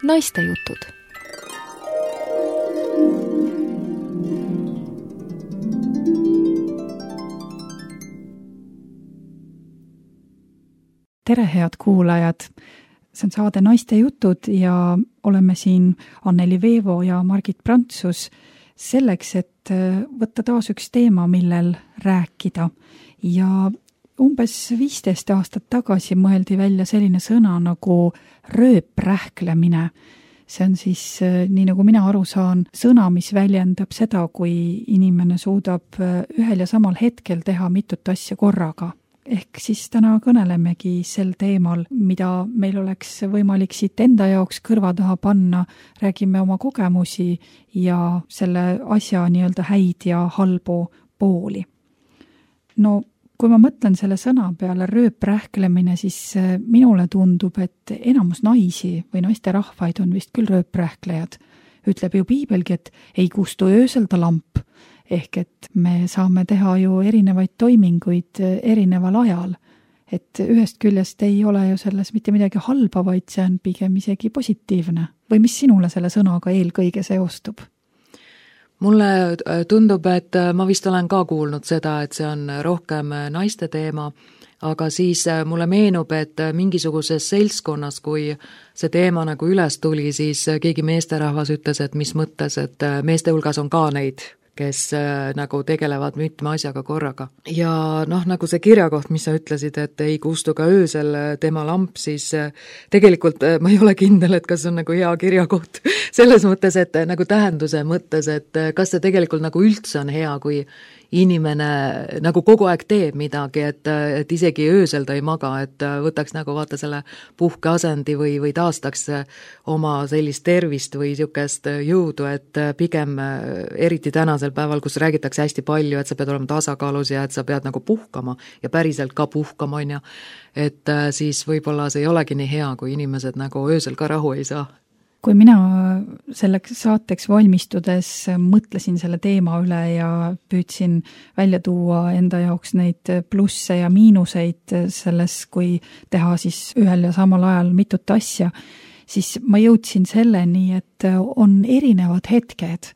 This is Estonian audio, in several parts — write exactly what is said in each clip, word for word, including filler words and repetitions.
Naistejutud. Tere, head kuulajad! See on saade Naistejutud ja oleme siin Anneli Veevo ja Margit Prantsus selleks, et võtta taas üks teema, millel rääkida. Ja umbes viisteist aastat tagasi mõeldi välja selline sõna nagu rööprähklemine. See on siis, nii nagu mina aru saan, sõna, mis väljendab seda, kui inimene suudab ühel ja samal hetkel teha mitut asja korraga. Ehk siis täna kõnelemegi sel teemal, mida meil oleks võimalik siit enda jaoks kõrva taha panna, räägime oma kogemusi ja selle asja nii-öelda häid ja halbu pooli. No, kui ma mõtlen selle sõna peale rööprähklemine, siis minule tundub, et enamus naisi või naisterahvaid on vist küll rööprähklejad. Ütleb ju piibelgi, et ei kustu öösel ta lamp. Ehk et me saame teha ju erinevaid toiminguid erineval ajal. Et ühest küljest ei ole ju selles mitte midagi halba, vaid see on pigem isegi positiivne. Või mis sinule selle sõnaga eelkõige seostub? Mulle tundub, et ma vist olen ka kuulnud seda, et see on rohkem naiste teema, aga siis mulle meenub, et mingisuguses seltskonnas, kui see teema nagu üles tuli, siis keegi meesterahvas ütles, et mis mõttes, et meeste hulgas on ka neid, kes äh, nagu tegelevad mitme asjaga korraga. Ja noh, nagu see kirjakoht, mis sa ütlesid, et ei kustu ka öösel tema lamp, siis äh, tegelikult äh, ma ei ole kindel, et kas on nagu hea kirjakoht selles mõttes, et äh, nagu tähenduse mõttes, et äh, kas see tegelikult nagu üldse on hea, kui inimene nagu kogu aeg teeb midagi, et, et isegi öösel ta ei maga, et võtaks nagu vaata selle puhkeasendi või, või taastaks oma sellist tervist või niisugust jõudu, et pigem eriti tänasel päeval, kus räägitakse hästi palju, et sa pead olema tasakaalus ja et sa pead nagu puhkama ja päriselt ka puhkama, on ju, et siis võib-olla see ei olegi nii hea, kui inimesed nagu öösel ka rahu ei saa. Kui mina selleks saateks valmistudes mõtlesin selle teema üle ja püüdsin välja tuua enda jaoks neid plusse ja miinuseid selles, kui teha siis ühel ja samal ajal mitut asja, siis ma jõudsin selleni, et on erinevad hetked.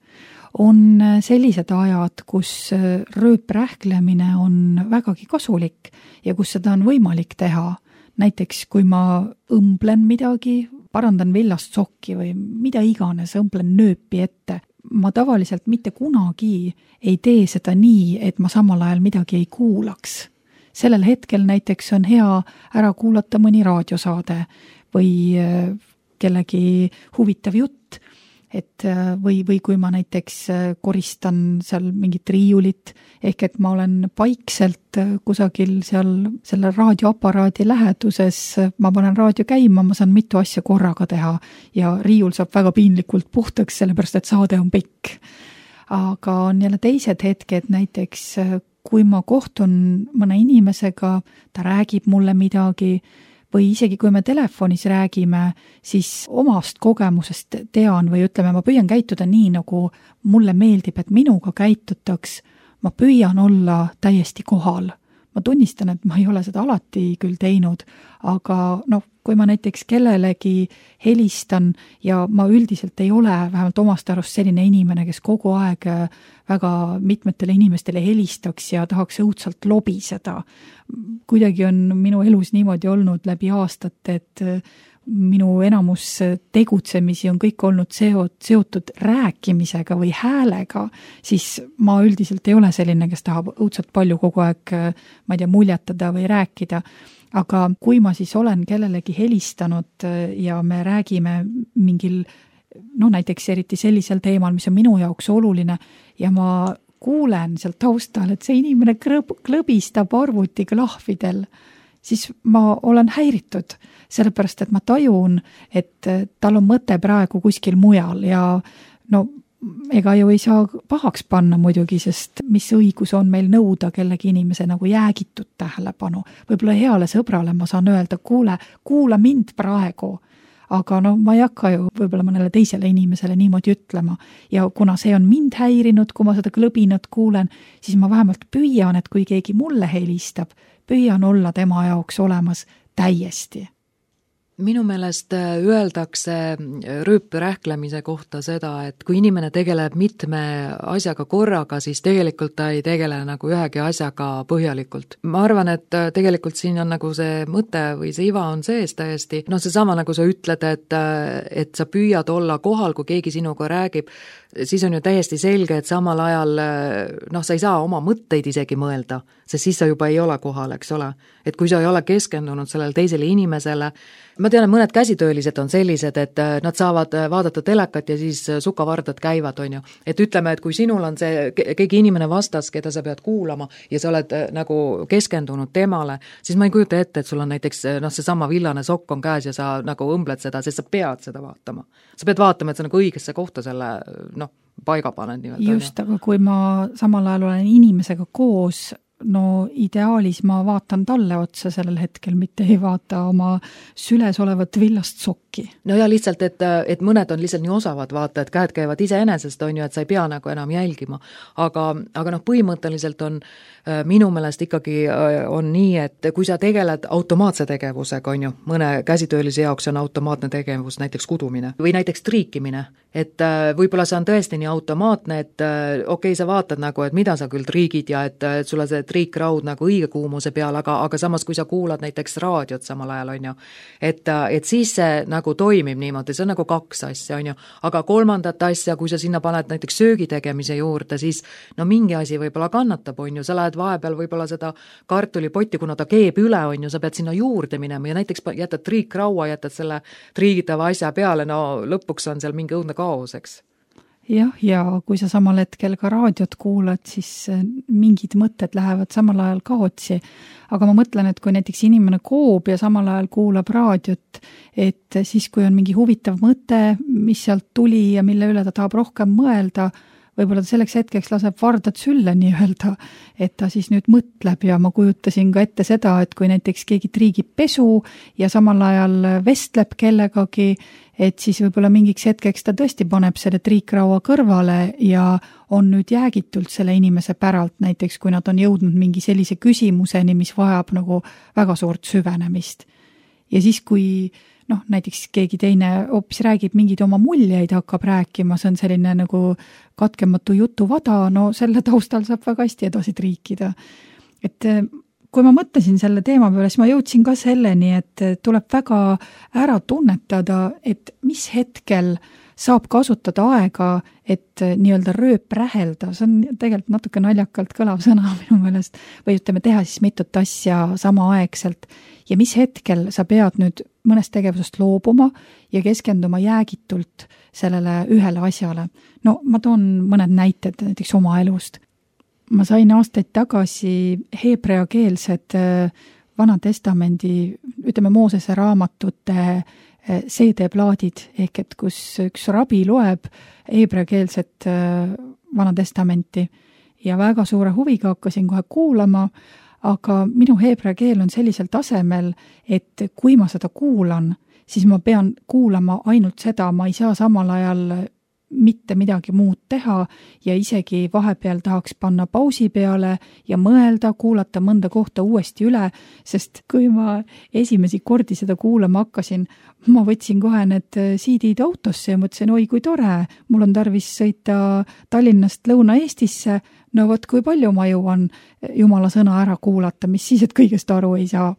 On sellised ajad, kus rööprähklemine on vägagi kasulik ja kus seda on võimalik teha. Näiteks, kui ma õmblen midagi, parandan villast sokki või mida iganes, õmblen nööpi ette. Ma tavaliselt mitte kunagi ei tee seda nii, et ma samal ajal midagi ei kuulaks. Sellel hetkel näiteks on hea ära kuulata mõni raadiosaade või kellegi huvitav jutt, et või, või kui ma näiteks koristan seal mingit riiulit, ehk et ma olen paikselt kusagil seal selle raadioaparaadi läheduses, ma panen raadio käima, ma saan mitu asja korraga teha ja riiul saab väga piinlikult puhtaks, sellepärast et saade on pikk. Aga on jälle teised hetked, näiteks kui ma kohtun mõne inimesega, ta räägib mulle midagi, või isegi kui me telefonis räägime, siis omast kogemusest tean või ütleme, ma püüan käituda nii, nagu mulle meeldib, et minuga käitutaks, ma püüan olla täiesti kohal. Ma tunnistan, et ma ei ole seda alati küll teinud, aga noh, kui ma näiteks kellelegi helistan ja ma üldiselt ei ole vähemalt omast arust selline inimene, kes kogu aeg väga mitmetele inimestele helistaks ja tahaks õudselt lobiseda. Kuidagi on minu elus niimoodi olnud läbi aastate, et minu enamus tegutsemisi on kõik olnud seotud rääkimisega või häälega, siis ma üldiselt ei ole selline, kes tahab õudselt palju kogu aeg, ma ei tea, muljetada või rääkida. Aga kui ma siis olen kellelegi helistanud ja me räägime mingil, no näiteks eriti sellisel teemal, mis on minu jaoks oluline ja ma kuulen sealt taustal, et see inimene krõb, klõbistab arvutiklahvidel, siis ma olen häiritud, sellepärast et ma tajun, et tal on mõte praegu kuskil mujal ja no ega ju ei saa pahaks panna muidugi, sest mis õigus on meil nõuda kellegi inimese nagu jäägitud tähelepanu. Võib-olla heale sõbrale ma saan öelda, kuule, kuula mind praegu, aga no ma ei hakka ju võib-olla mõnele teisele inimesele niimoodi ütlema ja kuna see on mind häirinud, kui ma seda klõbinat kuulen, siis ma vähemalt püüan, et kui keegi mulle helistab, püüan olla tema jaoks olemas täiesti. Minu meelest öeldakse rööprähklemise kohta seda, et kui inimene tegeleb mitme asjaga korraga, siis tegelikult ta ei tegele nagu ühegi asjaga põhjalikult. Ma arvan, et tegelikult siin on nagu see mõte või see iva on sees täiesti. No see sama nagu sa ütled, et, et sa püüad olla kohal, kui keegi sinuga räägib, siis on ju täiesti selge, et samal ajal noh, sa ei saa oma mõtteid isegi mõelda, sest siis sa juba ei ole kohal, eks ole. Et kui sa ei ole keskendunud sellele teisele inimesele, ma tean, et mõned käsitöölised on sellised, et nad saavad vaadata telekat ja siis sukavardad käivad, on ju. Et ütleme, et kui sinul on see keegi inimene vastas, keda sa pead kuulama ja sa oled nagu keskendunud temale, siis ma ei kujuta ette, et sul on näiteks noh, see sama villane sokk on käes ja sa nagu õmbled seda, sest sa pead seda vaatama. Sa pead vaatama, et sa nagu õigesse kohta selle noh, paiga panen nii-öelda. Just, aga kui ma samal ajal olen inimesega koos, no ideaalis ma vaatan talle otsa sellel hetkel, mitte ei vaata oma süles olevat villast sokki. No ja lihtsalt, et, et mõned on lihtsalt nii osavad vaata, et käed käivad iseenesest, on ju, et sa ei pea nagu enam jälgima. Aga, aga noh, põhimõtteliselt on minu meelest ikkagi on nii, et kui sa tegeled automaatse tegevusega, on ju, mõne käsitöölise jaoks on automaatne tegevus, näiteks kudumine või näiteks triikimine, et võib-olla see on tõesti nii automaatne, et okei, okay, sa vaatad nagu, et mida sa küll triigid ja et, et sulle see triikraud nagu õige kuumuse peal, aga, aga samas kui sa kuulad näiteks raadiot samal ajal, on ju, et, et siis see nagu toimib niimoodi, see on nagu kaks asja, on ju, aga kolmandat asja, kui sa sinna paned näiteks söögi tegemise juurde, siis no mingi asi võib-olla kannatab, on ju, sa lähed vahepeal võib-olla seda kartulipotti, kuna ta keeb üle, on ju, sa pead sinna juurde minema ja näiteks jätad triikraua, jätad selle triigitava asja peale, no lõpuks on seal mingi õudne kaos, eks. Jah, ja kui sa samal hetkel ka raadiot kuulad, siis mingid mõtted lähevad samal ajal kaotsi. Aga ma mõtlen, et kui näiteks inimene koob ja samal ajal kuulab raadiot, et siis kui on mingi huvitav mõte, mis sealt tuli ja mille üle ta tahab rohkem mõelda, võib-olla ta selleks hetkeks laseb vardad sülle nii-öelda, et ta siis nüüd mõtleb ja ma kujutasin ka ette seda, et kui näiteks keegi triigib pesu ja samal ajal vestleb kellegagi, et siis võib-olla mingiks hetkeks ta tõesti paneb selle triikraua kõrvale ja on nüüd jäägitult selle inimese päralt, näiteks kui nad on jõudnud mingi sellise küsimuseni, mis vajab nagu väga suurt süvenemist. Ja siis, kui noh, näiteks keegi teine hoopis räägib mingeid oma muljeid, hakkab rääkima, see on selline nagu katkematu jutuvada, no selle taustal saab väga hästi edasi triikida. Et kui ma mõtlesin selle teema peale, siis ma jõudsin ka selleni, et tuleb väga ära tunnetada, et mis hetkel saab kasutada aega, et nii-öelda rööp rähelda, see on tegelikult natuke naljakalt kõlav sõna minu meelest, või ütleme, teha siis mitut asja samaaegselt ja mis hetkel sa pead nüüd mõnest tegevusest loobuma ja keskenduma jäägitult sellele ühele asjale. No ma toon mõned näited näiteks oma elust. Ma sain aastaid tagasi heebreakeelsed Vana Testamendi, ütleme Moosese raamatute C D-plaadid, ehk et kus üks rabi loeb heebreakeelset Vana Testamenti ja väga suure huviga hakkasin kohe kuulama, aga minu heebrea keel on sellisel tasemel, et kui ma seda kuulan, siis ma pean kuulama ainult seda, ma ei saa samal ajal mitte midagi muud teha ja isegi vahepeal tahaks panna pausi peale ja mõelda, kuulata mõnda kohta uuesti üle, sest kui ma esimesi kordi seda kuulama hakkasin, ma võtsin kohe need C D-d autosse ja mõtlesin, oi kui tore, mul on tarvis sõita Tallinnast Lõuna-Eestisse, no vot kui palju ma jõuan Jumala sõna ära kuulata, mis siis, et kõigest aru ei saa.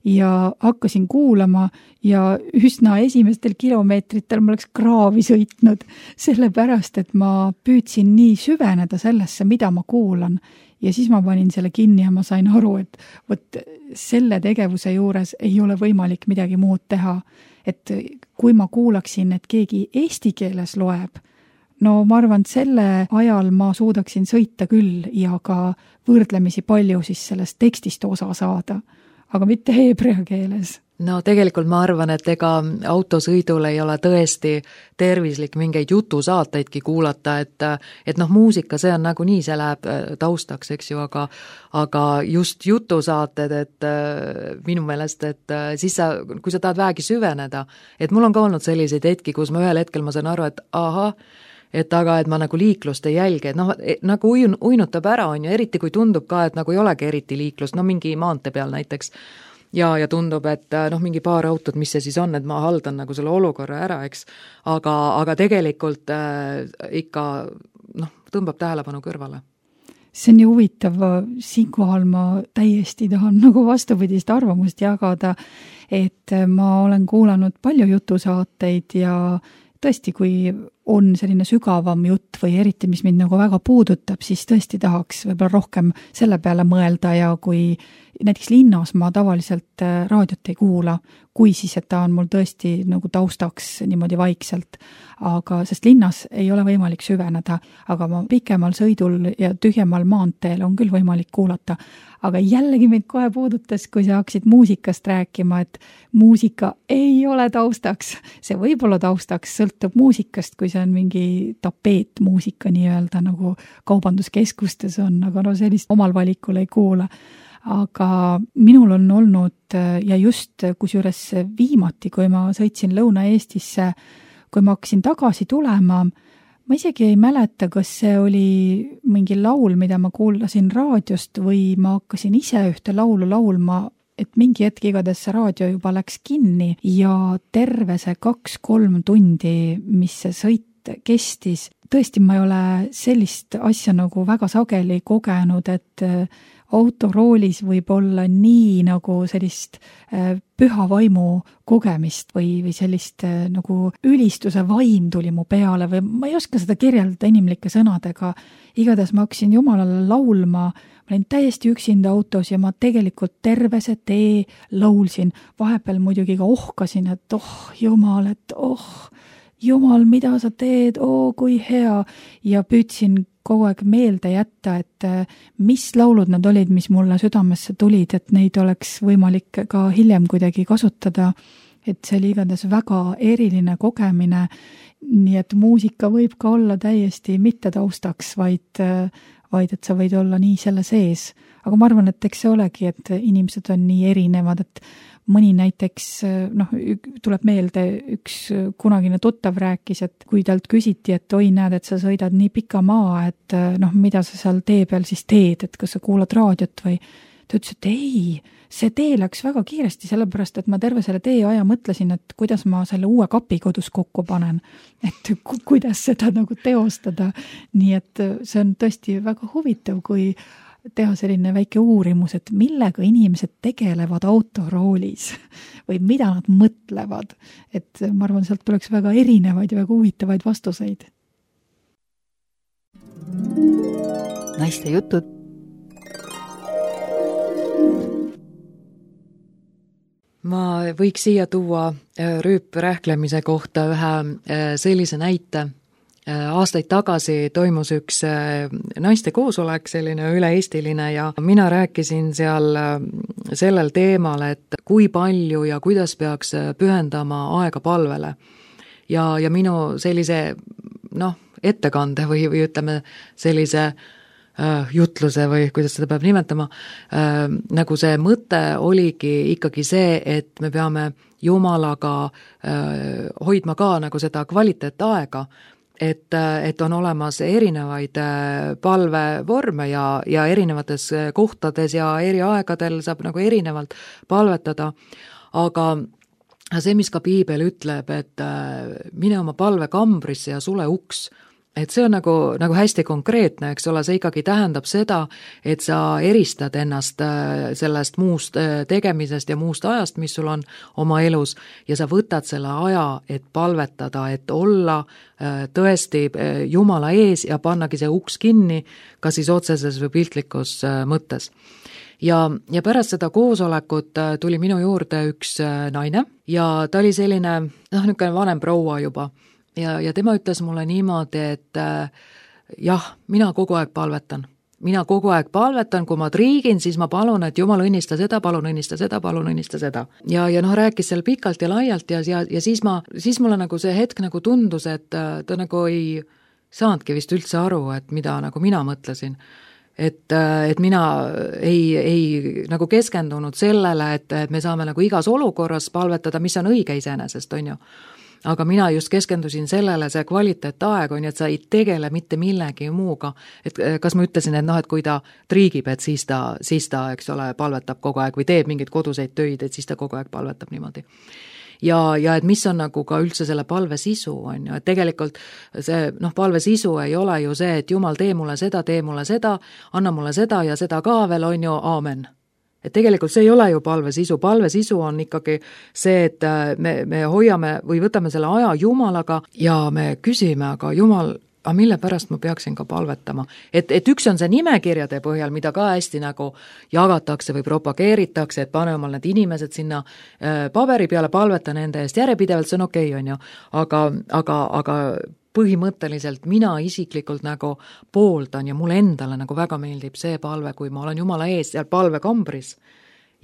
Ja hakkasin kuulama ja üsna esimestel kilomeetritel ma oleks kraavi sõitnud, sellepärast, et ma püüdsin nii süveneda sellesse, mida ma kuulan. Ja siis ma panin selle kinni ja ma sain aru, et võt, selle tegevuse juures ei ole võimalik midagi muud teha. Et kui ma kuulaksin, et keegi eesti keeles loeb, no ma arvan, et selle ajal ma suudaksin sõita küll ja ka võrdlemisi palju siis sellest tekstist osa saada, aga mitte heebrea keeles. No tegelikult ma arvan, et ega autosõidul ei ole tõesti tervislik mingeid jutusaateidki kuulata, et, et noh, muusika, see on nagu nii, see läheb taustaks, eks ju, aga, aga just jutusaated, et minu meelest, et siis sa, kui sa tahad vähegi süveneda, et mul on ka olnud selliseid hetki, kus ma ühel hetkel ma saan aru, et aha, et aga, et ma nagu liiklust ei jälgi, et noh, nagu uin, uinutab ära, on ju, eriti kui tundub ka, et nagu ei olegi eriti liiklust, no mingi maantee peal näiteks. ja, ja tundub, et noh, mingi paar autot, mis see siis on, et ma haldan nagu selle olukorra ära, eks, aga, aga tegelikult äh, ikka noh, tõmbab tähelepanu kõrvale. See on ju huvitav, siinkohal ma täiesti tahan nagu vastupidist arvamust jagada, et ma olen kuulanud palju jutusaateid ja tõesti, kui on selline sügavam jutt või eriti, mis mind nagu väga puudutab, siis tõesti tahaks võib-olla rohkem selle peale mõelda ja kui näiteks linnas ma tavaliselt raadiot ei kuula, kui siis, et ta on mul tõesti nagu taustaks niimoodi vaikselt, aga sest linnas ei ole võimalik süveneda, aga ma pikemal sõidul ja tühjemal maanteel on küll võimalik kuulata, aga jällegi mind kohe puudutas, kui sa hakkasid muusikast rääkima, et muusika ei ole taustaks. See võib olla taustaks, sõltub muusikast, kui see on mingi tapeetmuusika nii-öelda nagu kaubanduskeskustes on, aga no sellist omal valikul ei kuula. Aga minul on olnud ja just kusjuures viimati, kui ma sõitsin Lõuna-Eestisse, kui ma hakkasin tagasi tulema, ma isegi ei mäleta, kas see oli mingi laul, mida ma kuulasin raadiost või ma hakkasin ise ühte laulu laulma, et mingi hetk igatahes see raadio juba läks kinni ja terve see kaks-kolm tundi, mis see sõit kestis. Tõesti, ma ei ole sellist asja nagu väga sageli kogenud, et autoroolis võib olla nii nagu sellist püha vaimu kogemist või, või sellist nagu ülistuse vaim tuli mu peale või ma ei oska seda kirjeldada inimlike sõnadega. Igatahes ma hakkasin Jumalale laulma, ma olin täiesti üksinda autos ja ma tegelikult terve see tee laulsin. Vahepeal muidugi ka ohkasin, et oh Jumal, et oh Jumal, mida sa teed, oo kui hea ja püüdsin kogu aeg meelde jätta, et mis laulud need olid, mis mulle südamesse tulid, et neid oleks võimalik ka hiljem kuidagi kasutada, et see oli igatahes väga eriline kogemine, nii et muusika võib ka olla täiesti mitte taustaks, vaid, vaid et sa võid olla nii selle sees. Aga ma arvan, et eks see olegi, et inimesed on nii erinevad, et mõni näiteks, noh, tuleb meelde, üks kunagine tuttav rääkis, et kui talt küsiti, et oi, näed, et sa sõidad nii pika maa, et noh, mida sa seal tee peal siis teed, et kas sa kuulad raadiot või ta ütles, et ei, see tee läks väga kiiresti, sellepärast, et ma terve selle tee aja mõtlesin, et kuidas ma selle uue kapi kodus kokku panen, et ku- kuidas seda nagu teostada. Nii et see on tõesti väga huvitav, kui teha selline väike uurimus, et millega inimesed tegelevad autoroolis või mida nad mõtlevad. Et ma arvan, sealt tuleks väga erinevaid ja väga huvitavaid vastuseid. Naiste jutud. Ma võiks siia tuua rüüprähklemise kohta ühe sellise näite. Aastaid tagasi toimus üks naiste koosolek, selline üle-eestiline ja mina rääkisin seal sellel teemal, et kui palju ja kuidas peaks pühendama aega palvele. Ja, ja minu sellise noh, ettekande või, või ütleme sellise äh, jutluse või kuidas seda peab nimetama, äh, nagu see mõte oligi ikkagi see, et me peame Jumalaga äh, hoidma ka nagu seda kvaliteetaega, et, et on olemas erinevaid palvevorme ja, ja erinevates kohtades ja eri aegadel saab nagu erinevalt palvetada, aga see, mis ka piibel ütleb, et mine oma palve kambrisse ja sule uks, et see on nagu, nagu hästi konkreetne, eks ole, see ikkagi tähendab seda, et sa eristad ennast sellest muust tegemisest ja muust ajast, mis sul on oma elus ja sa võtad selle aja, et palvetada, et olla tõesti Jumala ees ja pannagi see uks kinni, ka siis otseses või piltlikus mõttes. Ja, ja pärast seda koosolekut tuli minu juurde üks naine ja ta oli selline, noh, niisugune vanem proua juba. Ja, ja tema ütles mulle niimoodi, et äh, jah, mina kogu aeg palvetan. Mina kogu aeg palvetan, kui ma triigin, siis ma palun, et Jumal õnnista seda, palun õnnista seda, palun õnnista seda. Ja, ja noh, rääkis seal pikalt ja laialt ja, ja, ja siis, ma, siis mulle nagu see hetk nagu tundus, et ta nagu ei saanudki vist üldse aru, et mida nagu mina mõtlesin. Et, et mina ei, ei nagu keskendunud sellele, et, et me saame nagu igas olukorras palvetada, mis on õige iseenesest, on ju. aga mina just keskendusin sellele, see kvaliteetaeg on, et sa ei tegele mitte millegi muuga. Et kas ma ütlesin, et noh, et kui ta triigib, et siis ta, siis ta, eks ole, palvetab kogu aeg või teeb mingeid koduseid töid, et siis ta kogu aeg palvetab niimoodi. Ja, ja et mis on nagu ka üldse selle palve sisu, on ju, et tegelikult see, noh, palve sisu ei ole ju see, et Jumal, tee mulle seda, tee mulle seda, anna mulle seda ja seda ka veel, on ju, aamen. Et tegelikult see ei ole ju palve sisu, palve sisu on ikkagi see, et me, me hoiame või võtame selle aja Jumalaga ja me küsime, aga Jumal, aga mille pärast ma peaksin ka palvetama. Et, et üks on see nimekirjade põhjal, mida ka hästi nagu jagatakse või propageeritakse, et pane omal need inimesed sinna äh, paberi peale, palveta nende eest järjepidevalt, see on okei, on ju. Aga, aga, aga põhimõtteliselt mina isiklikult nagu pooldan ja mulle endale nagu väga meeldib see palve, kui ma olen Jumala ees seal palvekambris.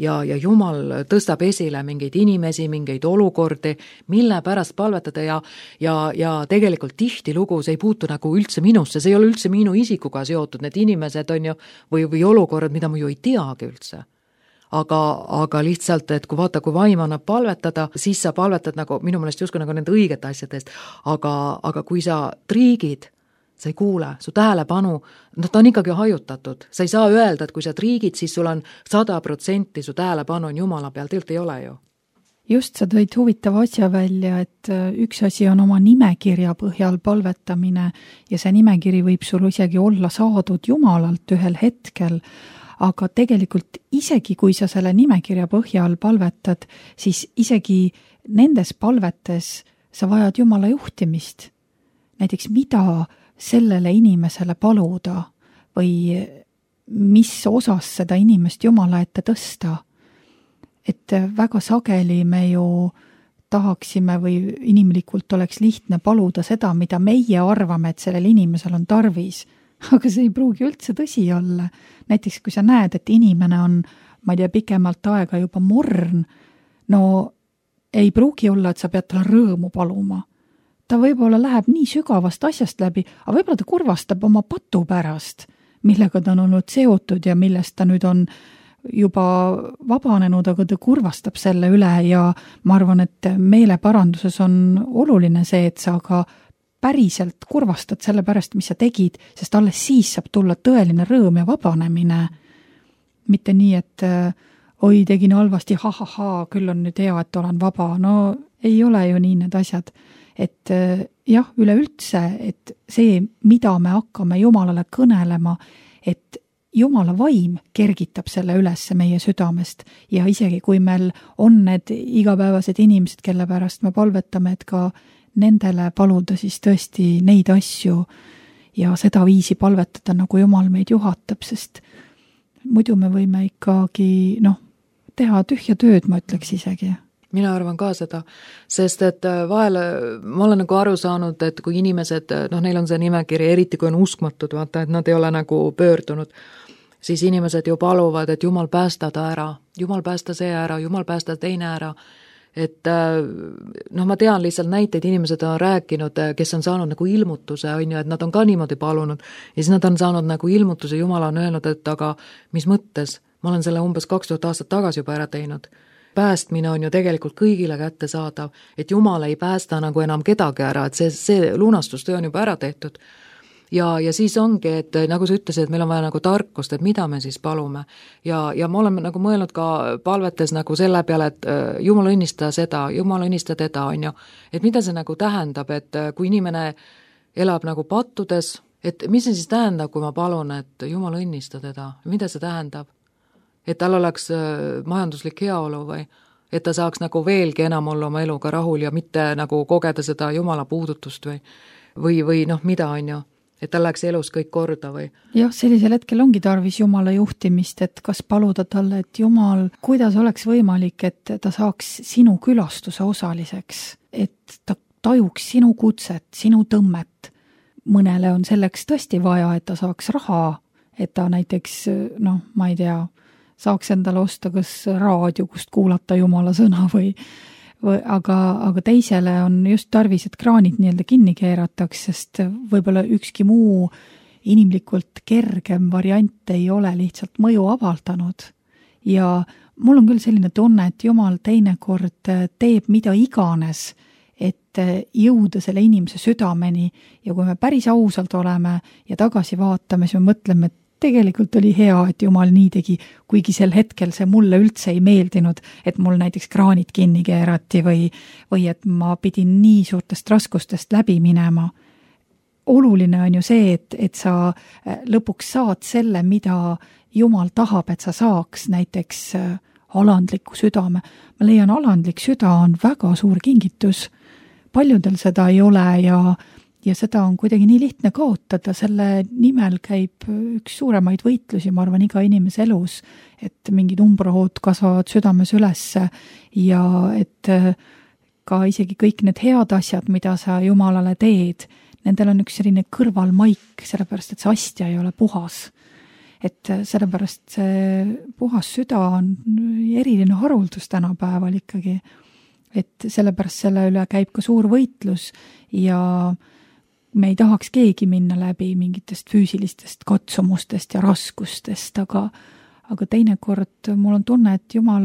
Ja, ja Jumal tõstab esile mingeid inimesi, mingeid olukordi, mille pärast palvetada ja, ja, ja tegelikult tihti lugu, see ei puutu nagu üldse minusse, see ei ole üldse minu isikuga seotud, need inimesed on ju, või, või olukorrad, mida ma ju ei teagi üldse. Aga, aga lihtsalt, et kui vaata, kui vaim annab palvetada, siis sa palvetad nagu, minu meelest justkui nagu nende õigete asjadest, aga, aga kui sa triigid, sa ei kuule, su tähelepanu, no ta on ikkagi hajutatud. Sa ei saa öelda, et kui sa triigid, siis sul on sada protsenti su tähelepanu on Jumala peal, tegelikult ei ole ju. Just sa tõid huvitava asja välja, et üks asi on oma nimekirja põhjal palvetamine ja see nimekiri võib sul isegi olla saadud Jumalalt ühel hetkel, aga tegelikult isegi kui sa selle nimekirja põhjal palvetad, siis isegi nendes palvetes sa vajad Jumala juhtimist. Näiteks mida sellele inimesele paluda või mis osas seda inimest Jumala ette tõsta. Et väga sageli me ju tahaksime või inimlikult oleks lihtne paluda seda, mida meie arvame, et sellel inimesel on tarvis. Aga see ei pruugi üldse tõsi olla. Näiteks kui sa näed, et inimene on, ma ei tea, pikemalt aega juba morn, no ei pruugi olla, et sa pead talle rõõmu paluma. Ta võib-olla läheb nii sügavast asjast läbi, aga võib-olla ta kurvastab oma patu pärast, millega ta on olnud seotud ja millest ta nüüd on juba vabanenud, aga ta kurvastab selle üle ja ma arvan, et meeleparanduses on oluline see, et sa ka päriselt kurvastad selle pärast, mis sa tegid, sest alles siis saab tulla tõeline rõõm ja vabanemine. Mitte nii, et oi, tegin halvasti, ha-ha-ha, küll on nüüd hea, et olen vaba. No ei ole ju nii need asjad. Et jah, üleüldse, et see, mida me hakkame Jumalale kõnelema, et Jumala vaim kergitab selle üles meie südamest ja isegi kui meil on need igapäevased inimesed, kelle pärast me palvetame, et ka nendele paluda siis tõesti neid asju ja seda viisi palvetada, nagu Jumal meid juhatab, sest muidu me võime ikkagi noh, teha tühja tööd, ma ütleks isegi. Mina arvan ka seda, sest et vahel ma olen nagu aru saanud, et kui inimesed, noh, neil on see nimekiri, eriti kui on uskmatud, vaata, et nad ei ole nagu pöördunud, siis inimesed ju paluvad, et Jumal päästa ta ära, Jumal päästa see ära, Jumal päästa teine ära, et noh, ma tean lihtsalt näiteid, inimesed on rääkinud, kes on saanud nagu ilmutuse, on ju, et nad on ka niimoodi palunud ja siis nad on saanud nagu ilmutuse, Jumal on öelnud, et aga mis mõttes, ma olen selle umbes kaks tuhat aastat tagasi juba ära teinud. Päästmine on ju tegelikult kõigile kätte saadav, et Jumal ei päästa nagu enam kedagi ära, et see, see lunastustöö on juba ära tehtud. Ja, ja siis ongi, et nagu sa ütlesid, et meil on vaja nagu tarkust, et mida me siis palume. Ja, ja ma olen nagu mõelnud ka palvetes nagu selle peale, et Jumal õnnista seda, Jumal õnnista teda, on ju. Et mida see nagu tähendab, et kui inimene elab nagu pattudes, et mis see siis tähendab, kui ma palun, et Jumal õnnista teda, mida see tähendab? Et tal oleks majanduslik heaolu või et ta saaks nagu veelgi enam olla oma eluga rahul ja mitte nagu kogeda seda Jumala puudutust või, või, või noh, mida on ju, et tal läheks elus kõik korda või. Jah, sellisel hetkel ongi tarvis Jumala juhtimist, et kas paluda talle, et Jumal, kuidas oleks võimalik, et ta saaks sinu külastuse osaliseks, et ta tajuks sinu kutset, sinu tõmmet. Mõnele on selleks tõesti vaja, et ta saaks raha, et ta näiteks, noh, ma ei tea, saaks endale osta kas raadio, kust kuulata Jumala sõna või, või aga, aga teisele on just tarvis, et kraanid nii-öelda kinni keerataks, sest võib-olla ükski muu inimlikult kergem variant ei ole lihtsalt mõju avaldanud. Ja mul on küll selline tunne, et Jumal teinekord teeb mida iganes, et jõuda selle inimese südameni ja kui me päris ausalt oleme ja tagasi vaatame, siis me mõtleme, et tegelikult oli hea, et Jumal nii tegi, kuigi sel hetkel see mulle üldse ei meeldinud, et mul näiteks kraanid kinni keerati või, või et ma pidin nii suurtest raskustest läbi minema. Oluline on ju see, et, et sa lõpuks saad selle, mida Jumal tahab, et sa saaks, näiteks alandliku südame. Ma leian, alandlik süda on väga suur kingitus. Paljudel seda ei ole ja Ja seda on kuidagi nii lihtne kaotada, selle nimel käib üks suuremaid võitlusi, ma arvan, iga inimese elus, et mingid umbrahood kasvavad südames ülesse ja et ka isegi kõik need head asjad, mida sa Jumalale teed, nendel on üks selline kõrvalmaik, sellepärast et see astja ei ole puhas. Et sellepärast see puhas süda on eriline haruldus tänapäeval ikkagi, et sellepärast selle üle käib ka suur võitlus ja me ei tahaks keegi minna läbi mingitest füüsilistest katsumustest ja raskustest, aga, aga teinekord mul on tunne, et Jumal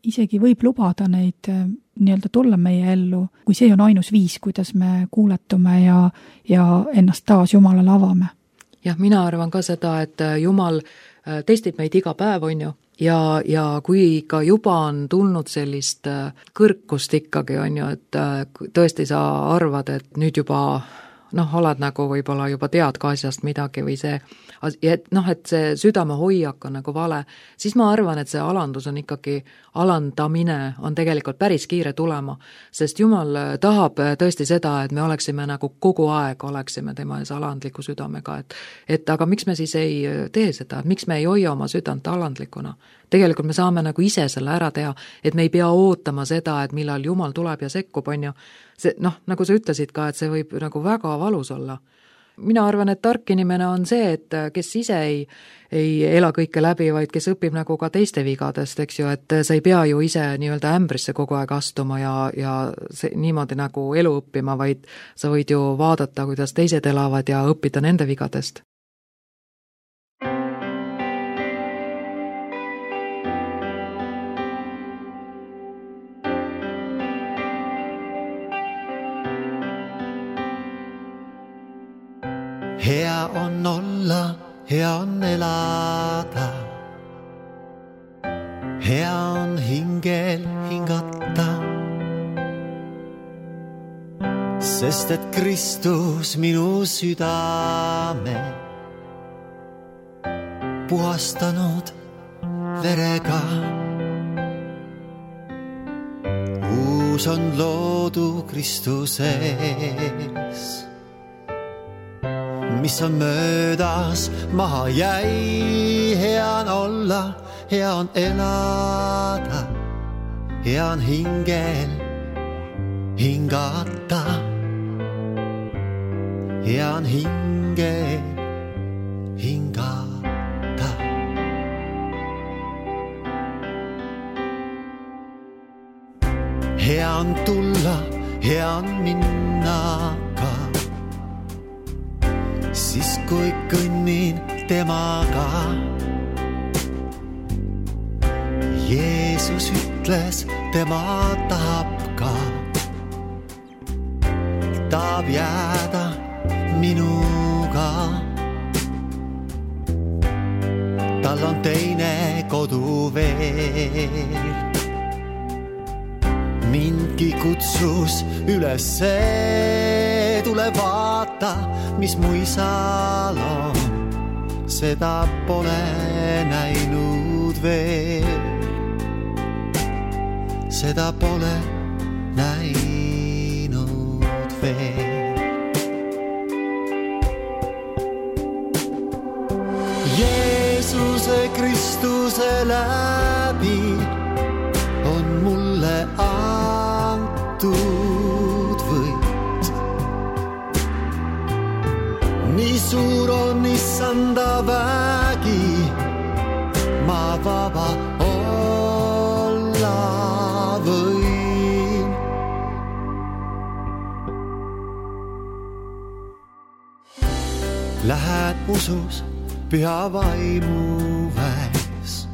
isegi võib lubada neid nii-öelda tulla meie ellu, kui see on ainus viis, kuidas me kuuletume ja, ja ennast taas Jumalale avame. Jah, mina arvan ka seda, et Jumal testib meid iga päev, on ju, ja, ja kui ka juba on tulnud sellist kõrkust ikkagi, on ju, et tõesti sa arvad, et nüüd juba noh, oled nagu võib-olla juba tead ka asjast midagi või see, et noh, et see südame hoiak on nagu vale, siis ma arvan, et see alandus on ikkagi, alandamine on tegelikult päris kiire tulema, sest Jumal tahab tõesti seda, et me oleksime nagu kogu aeg, oleksime tema ees alandliku südamega, et, et aga miks me siis ei tee seda, miks me ei hoia oma südant alandlikuna? Tegelikult me saame nagu ise selle ära teha, et me ei pea ootama seda, et millal Jumal tuleb ja sekkub, on ju. See, noh, nagu sa ütlesid ka, et see võib nagu väga valus olla. Mina arvan, et tark inimene on see, et kes ise ei, ei ela kõike läbi, vaid kes õpib nagu ka teiste vigadest, eks ju, et sa ei pea ju ise nii-öelda ämbrisse kogu aeg astuma ja, ja see, niimoodi nagu elu õppima, vaid sa võid ju vaadata, kuidas teised elavad ja õppida nende vigadest. Hea on olla, hea on elada. Hea on hingel hingata. Sest et Kristus minu südame puhastanud verega. Uus on loodu Kristuses. Mis on möödas, maha jäi, hea on olla, hea on elada, hea on hingel hingata, hea on hingel hingata. Hea on tulla, hea on minna ka. Siis kui kõnnin temaga. Jeesus ütles, tema tahab ka. Tahab jääda minuga. Tal on teine kodu veel. Mindki kutsus ülesse, tule vaata, mis mu isal on. Seda pole näinud veel. Seda pole näinud veel. Jeesuse Kristuse läbi on mulle antud võit. Nii suur on issanda vägi, ma vaba olla võin. Lähed usus püha vaimu väes.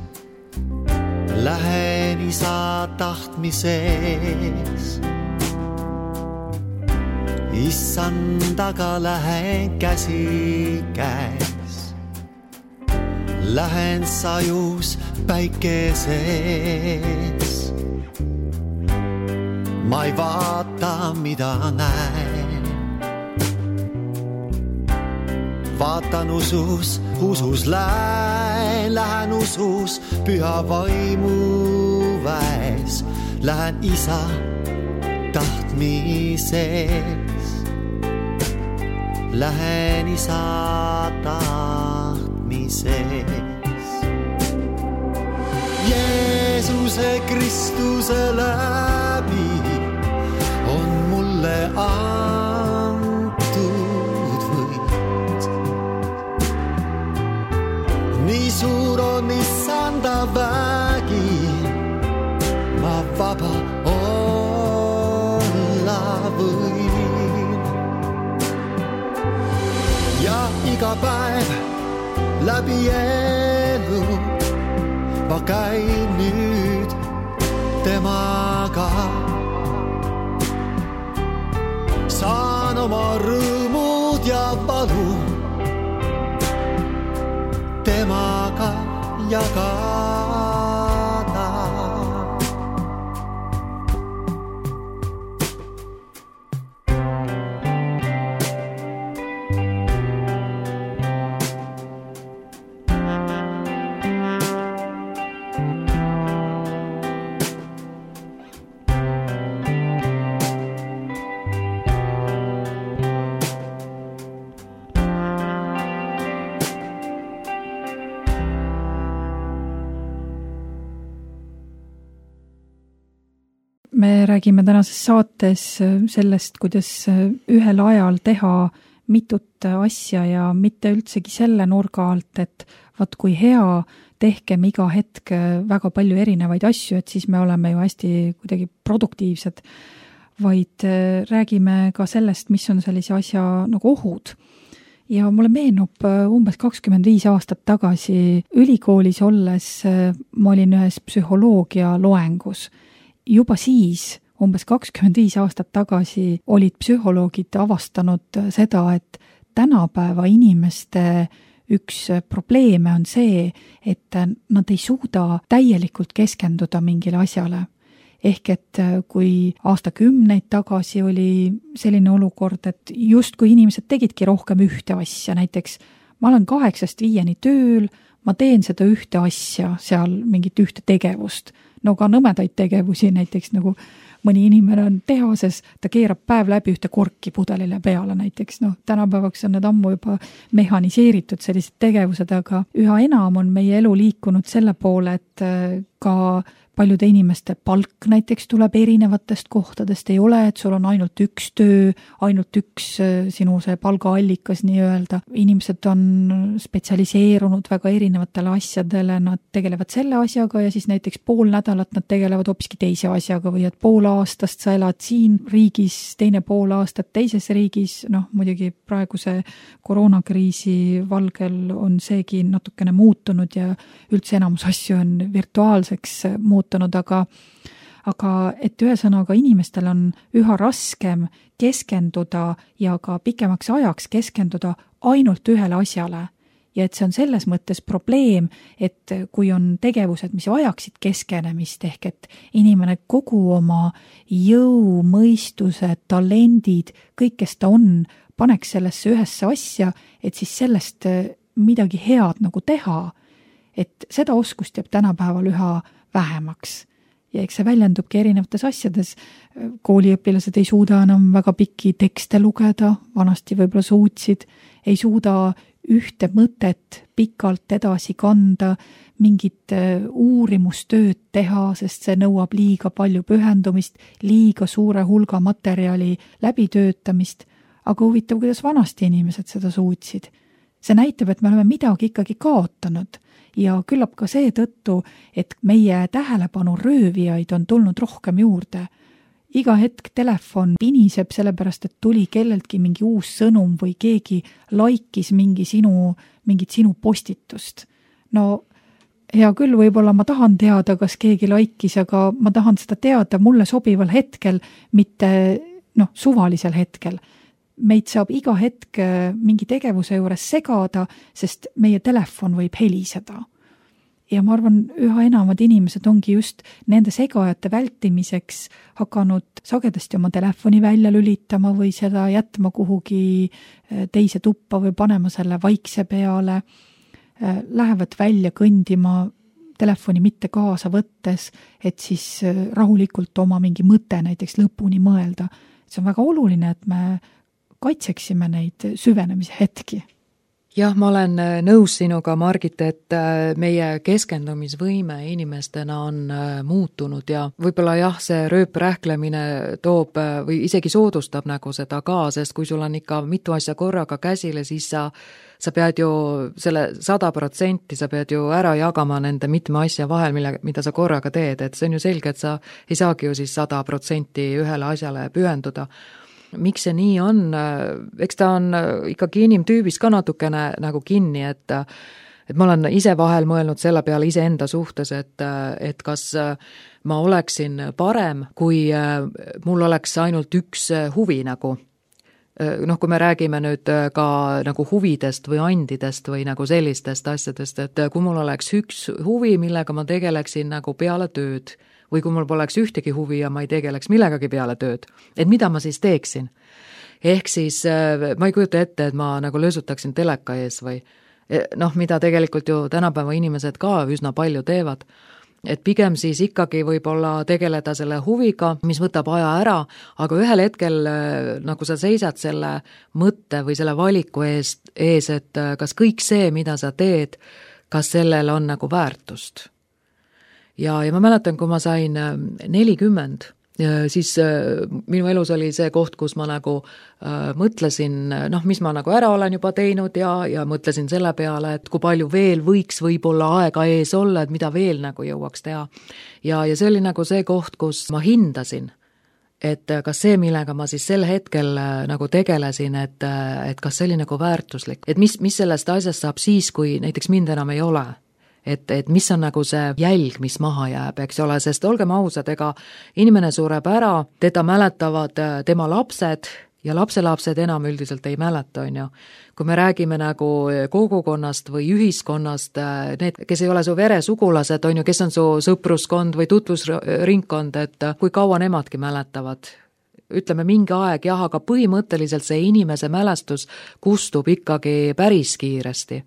Lähen isa tahtmises. Issandaga lähen käsi käes. Lähen sajus päikeses. Ma ei vaata, mida näen. Vaatan usus, usus lähen, lähen usus püha vaimu väes. Lähen isa tahtmises. Lähen isa tahtmises. Jeesuse Kristuse läbi on mulle antud võit. Nii suur on Issanda vägi, ma vaba olla võin. Ja iga päev läbi elu ma käin nüüd temaga. Saan oma rõõmud ja valu temaga jagada. Me räägime tänases saates sellest, kuidas ühel ajal teha mitut asja ja mitte üldsegi selle nurga alt, et vaat kui hea, tehkem iga hetk väga palju erinevaid asju, et siis me oleme ju hästi kuidagi produktiivsed, vaid räägime ka sellest, mis on sellise asja nagu ohud. Ja mulle meenub umbes kakskümmend viis aastat tagasi ülikoolis olles ma olin ühes psühholoogia loengus. Juba siis, umbes kakskümmend viis aastat tagasi, olid psühholoogid avastanud seda, et tänapäeva inimeste üks probleeme on see, et nad ei suuda täielikult keskenduda mingile asjale. Ehk et kui aastakümneid tagasi oli selline olukord, et just kui inimesed tegidki rohkem ühte asja, näiteks ma olen kaheksast viieni tööl, ma teen seda ühte asja, seal mingit ühte tegevust, no ka nõmedaid tegevusi, näiteks nagu mõni inimene on tehases, ta keerab päev läbi ühte korki pudelile peale näiteks, no tänapäevaks on need ammu juba mehaniseeritud sellised tegevused, aga üha enam on meie elu liikunud selle poole, et ka paljude inimeste palk näiteks tuleb erinevatest kohtadest, ei ole, et sul on ainult üks töö, ainult üks sinu see palgaallikas nii-öelda. Inimesed on spetsialiseerunud väga erinevatele asjadele, nad tegelevad selle asjaga ja siis näiteks pool nädalat nad tegelevad hoopiski teise asjaga või et pool aastast sa elad siin riigis, teine pool aastat teises riigis, noh muidugi praeguse koroonakriisi valgel on seegi natukene muutunud ja üldse enamus asju on virtuaalseks muutunud. Aga, aga et ühesõnaga inimestel on üha raskem keskenduda ja ka pikemaks ajaks keskenduda ainult ühele asjale. Ja et see on selles mõttes probleem, et kui on tegevused, mis vajaksid keskenemist, ehk et inimene kogu oma jõu, mõistuse, talendid, kõik, kes ta on, paneks sellesse ühesse asja, et siis sellest midagi head nagu teha, et seda oskust jääb tänapäeval üha vähemaks. Ja eks see väljendubki erinevates asjades. Kooliõpilased ei suuda enam väga pikki tekste lugeda, vanasti võib-olla suutsid, ei suuda ühte mõtet pikalt edasi kanda, mingit uurimustööd teha, sest see nõuab liiga palju pühendumist, liiga suure hulga materjali läbitöötamist, aga huvitav, kuidas vanasti inimesed seda suutsid. See näitab, et me oleme midagi ikkagi kaotanud ja küllap ka see tõttu, et meie tähelepanu röövijaid on tulnud rohkem juurde. Iga hetk telefon piniseb sellepärast, et tuli kelleltki mingi uus sõnum või keegi laikis mingi sinu, mingit sinu postitust. No hea küll, võib-olla ma tahan teada, kas keegi laikis, aga ma tahan seda teada mulle sobival hetkel, mitte noh, suvalisel hetkel. meid saab iga hetk mingi tegevuse juures segada, sest meie telefon võib heliseda. Ja ma arvan, üha enamad inimesed ongi just nende segajate vältimiseks hakanud sagedasti oma telefoni välja lülitama või seda jätma kuhugi teise tuppa või panema selle vaikse peale. Lähevad välja kõndima telefoni mitte kaasa võttes, et siis rahulikult oma mingi mõte näiteks lõpuni mõelda. See on väga oluline, et me kaitseksime neid süvenemise hetki. Jah, ma olen nõus sinuga, Margit, et meie keskendumisvõime inimestena on muutunud ja võib-olla jah, see rööprähklemine toob või isegi soodustab nagu seda ka, sest kui sul on ikka mitu asja korraga käsile, siis sa, sa pead ju selle sada protsenti, sa pead ju ära jagama nende mitme asja vahel, mille, mida sa korraga teed, et see on ju selge, et sa ei saagi ju siis sada protsenti ühele asjale pühenduda. Miks see nii on? Eks ta on ikkagi inimtüübis ka natukene nagu kinni, et, et ma olen ise vahel mõelnud selle peale ise enda suhtes, et, et kas ma oleksin parem, kui mul oleks ainult üks huvi nagu. Noh, kui me räägime nüüd ka nagu huvidest või andidest või nagu sellistest asjadest, et kui mul oleks üks huvi, millega ma tegeleksin nagu peale tööd, või kui mul poleks ühtegi huvi ja ma ei tegeleks millegagi peale tööd, et mida ma siis teeksin? Ehk siis ma ei kujuta ette, et ma nagu löösutaksin teleka ees või noh, mida tegelikult ju tänapäeva inimesed ka üsna palju teevad. Et pigem siis ikkagi võib-olla tegeleda selle huviga, mis võtab aja ära, aga ühel hetkel nagu sa seisad selle mõtte või selle valiku ees, ees, et kas kõik see, mida sa teed, kas sellel on nagu väärtust. Ja, ja ma mäletan, kui ma sain nelikümmend, siis minu elus oli see koht, kus ma nagu äh, mõtlesin, noh, mis ma nagu ära olen juba teinud ja, ja mõtlesin selle peale, et kui palju veel võiks võib-olla aega ees olla, et mida veel nagu jõuaks teha. Ja, ja see oli nagu see koht, kus ma hindasin, et kas see, millega ma siis sel hetkel nagu tegelesin, et, et kas see oli nagu väärtuslik, et mis, mis sellest asjast saab siis, kui näiteks mind enam ei ole. Et, et mis on nagu see jälg, mis maha jääb, eks ole, sest olgem ausad, ega inimene sureb ära, teda mäletavad tema lapsed ja lapselapsed enam üldiselt ei mäleta, on ju. Kui me räägime nagu kogukonnast või ühiskonnast, need, kes ei ole su veresugulased, on ju, kes on su sõpruskond või tutvusringkond, et kui kaua nemadki mäletavad. Ütleme mingi aeg, jah, aga põhimõtteliselt see inimese mälestus kustub ikkagi päris kiiresti.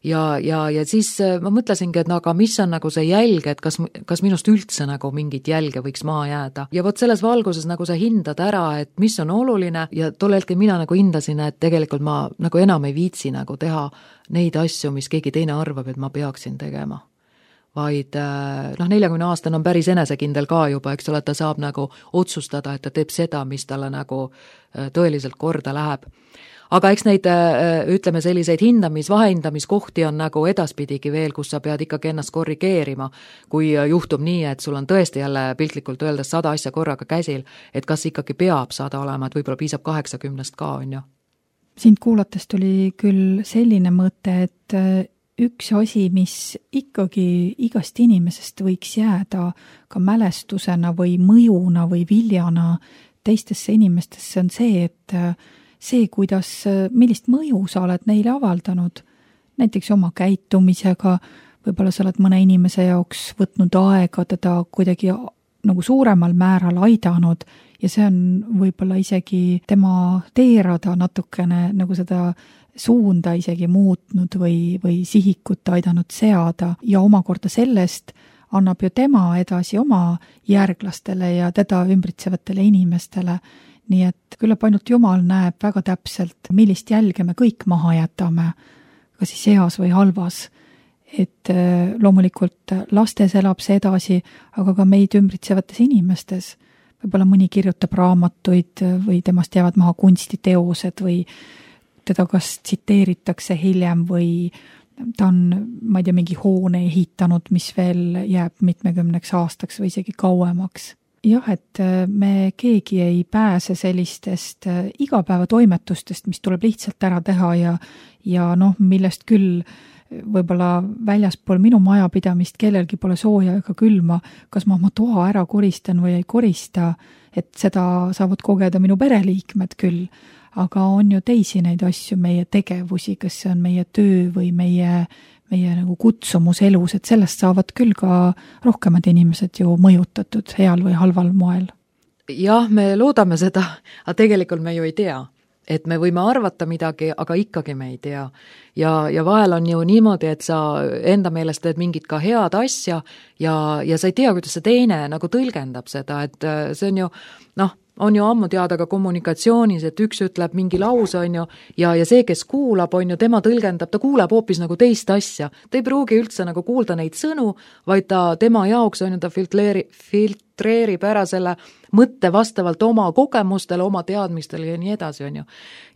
Ja, ja, ja siis ma mõtlesingi, et no aga mis on nagu see jälg, et kas, kas minust üldse nagu mingit jälge võiks maha jääda. Ja vot selles valguses nagu sa hindad ära, et mis on oluline ja tol hetkel mina nagu hindasin, et tegelikult ma nagu enam ei viitsi nagu teha neid asju, mis keegi teine arvab, et ma peaksin tegema. Vaid noh, neljakümne aastane on päris enesekindel ka juba, eks ole, ta saab nagu otsustada, et ta teeb seda, mis talle nagu tõeliselt korda läheb. Aga eks neid, ütleme, selliseid hindamis, vahehindamiskohti on nagu edaspidigi veel, kus sa pead ikkagi ennast korrigeerima, kui juhtub nii, et sul on tõesti jälle piltlikult öeldes sada asja korraga käsil, et kas ikkagi peab sada olema, et võib-olla piisab kaheksakümnest ka, on ju. Sind kuulates tuli küll selline mõte, et üks asi, mis ikkagi igast inimesest võiks jääda ka mälestusena või mõjuna või viljana teistesse inimestesse, on see, et see, kuidas, millist mõju sa oled neile avaldanud, näiteks oma käitumisega, võib-olla sa oled mõne inimese jaoks võtnud aega teda kuidagi nagu suuremal määral aidanud ja see on võib-olla isegi tema teerada natukene nagu seda suunda isegi muutnud või, või sihikut aidanud seada ja omakorda sellest annab ju tema edasi oma järglastele ja teda ümbritsevatele inimestele. Nii et küllap ainult Jumal näeb väga täpselt, millist jälge me kõik maha jätame, ka siis heas või halvas. Et loomulikult lastes elab see edasi, aga ka meid ümbritsevates inimestes. Võib-olla mõni kirjutab raamatuid või temast jäävad maha kunstiteosed või teda kas tsiteeritakse hiljem või ta on, ma ei tea, mingi hoone ehitanud, mis veel jääb mitmekümneks aastaks või isegi kauemaks. Jah, et me keegi ei pääse sellistest igapäevatoimetustest, mis tuleb lihtsalt ära teha ja, ja noh, millest küll võib-olla väljaspool minu majapidamist kellelgi pole sooja ega külma, kas ma oma toa ära koristan või ei korista, et seda saavad kogeda minu pereliikmed küll. aga on ju teisi neid asju, meie tegevusi, kas see on meie töö või meie, meie nagu kutsumus elus, et sellest saavad küll ka rohkemad inimesed ju mõjutatud heal või halval moel. Jah, me loodame seda, aga tegelikult me ju ei tea. Et me võime arvata midagi, aga ikkagi me ei tea. Ja, ja vahel on ju niimoodi, et sa enda meelest teed mingit ka head asja ja, ja sa ei tea, kuidas see teine nagu tõlgendab seda, et see on ju, noh, on ju ammu teada ka kommunikatsioonis, et üks ütleb mingi lause, on ju, ja, ja see, kes kuulab, on ju, tema tõlgendab, ta kuuleb hoopis nagu teist asja. Ta ei pruugi üldse nagu kuulda neid sõnu, vaid ta tema jaoks, on ju, ta filtreeri, filtreerib ära selle mõtte vastavalt oma kogemustele, oma teadmistele ja nii edasi, on ju.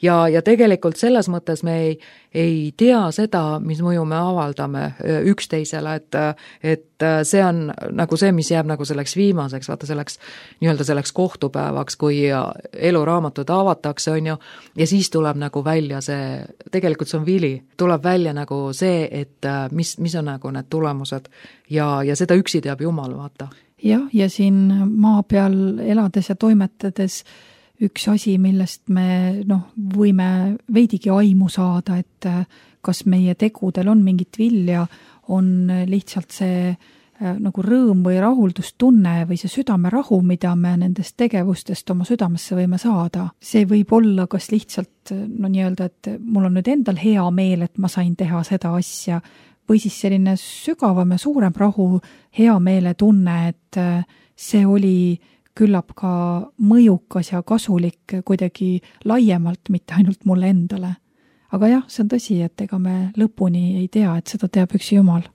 Ja, ja tegelikult selles mõttes me ei, ei tea seda, mis mõju me avaldame üksteisele, et, et see on nagu see, mis jääb nagu selleks viimaseks, vaata selleks, nii-öelda selleks kohtupäevaks, kui eluraamatud avatakse, on ju, ja siis tuleb nagu välja see, tegelikult see on vili, tuleb välja nagu see, et mis, mis on nagu need tulemused ja, ja seda üksi teab Jumal, vaata. Jah, ja siin maa peal elades ja toimetades üks asi, millest me noh, võime veidigi aimu saada, et kas meie tegudel on mingit vilja, on lihtsalt see nagu rõõm või rahuldustunne või see südamerahu, mida me nendest tegevustest oma südamesse võime saada. See võib olla kas lihtsalt no nii-öelda, et mul on nüüd endal hea meel, et ma sain teha seda asja, või siis selline sügavam ja suurem rahu, hea meele tunne, et see oli küllap ka mõjukas ja kasulik kuidagi laiemalt, mitte ainult mulle endale. Aga jah, see on tõsi, et ega me lõpuni ei tea, et seda teab üks Jumal.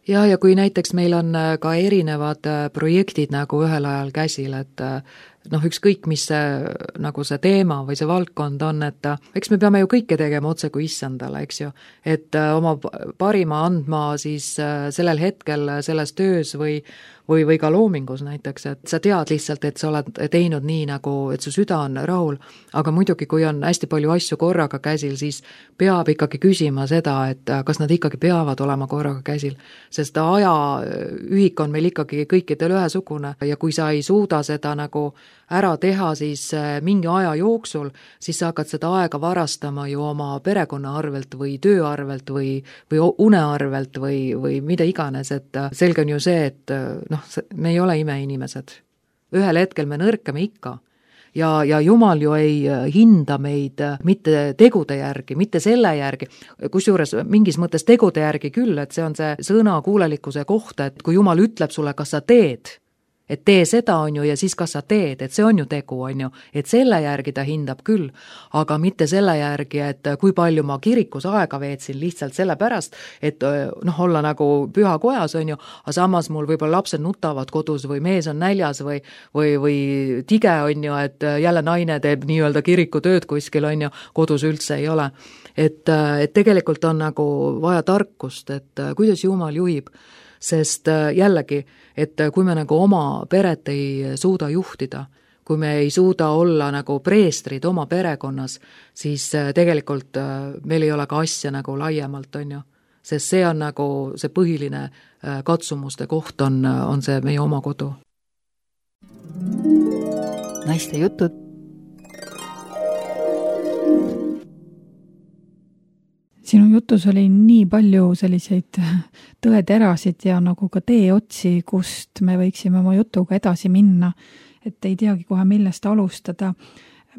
Ja, ja kui näiteks meil on ka erinevad projektid nagu ühel ajal käsil, et noh, ükskõik, mis see, nagu see teema või see valdkond on, et eks me peame ju kõike tegema otse kui issandale, eks ju, et oma parima andma siis sellel hetkel selles töös või, või, või ka loomingus näiteks, et sa tead lihtsalt, et sa oled teinud nii nagu, et su süda on rahul, aga muidugi, kui on hästi palju asju korraga käsil, siis peab ikkagi küsima seda, et kas nad ikkagi peavad olema korraga käsil, sest ajaühik on meil ikkagi kõikidel ühesugune ja kui sa ei suuda seda nagu ära teha siis mingi aja jooksul, siis sa hakkad seda aega varastama ju oma perekonna arvelt või töö arvelt või, või une arvelt või, või mida iganes, et selge on ju see, et noh, me ei ole imeinimesed. Ühel hetkel me nõrkame ikka ja, ja Jumal ju ei hinda meid mitte tegude järgi, mitte selle järgi, kusjuures mingis mõttes tegude järgi küll, et see on see sõna kuulelikkuse kohta, et kui Jumal ütleb sulle, kas sa teed, et tee seda on ju ja siis kas sa teed, et see on ju tegu on ju, et selle järgi ta hindab küll, aga mitte selle järgi, et kui palju ma kirikus aega veetsin lihtsalt sellepärast, et noh, olla nagu püha kojas on ju, aga samas mul võib-olla lapsed nutavad kodus või mees on näljas või, või, või tige on ju, et jälle naine teeb nii-öelda kirikutööd kuskil on ju, kodus üldse ei ole. Et, et tegelikult on nagu vaja tarkust, et kuidas Jumal juhib, sest jällegi, et kui me nagu oma peret ei suuda juhtida, kui me ei suuda olla nagu preestrid oma perekonnas, siis tegelikult meil ei ole ka asja nagu laiemalt, on ju. Sest see on nagu see põhiline katsumuste koht on, on see meie oma kodu. Naiste jutud. Sinu jutus oli nii palju selliseid tõeterasid ja nagu ka teeotsi, kust me võiksime oma jutuga edasi minna, et ei teagi kohe millest alustada.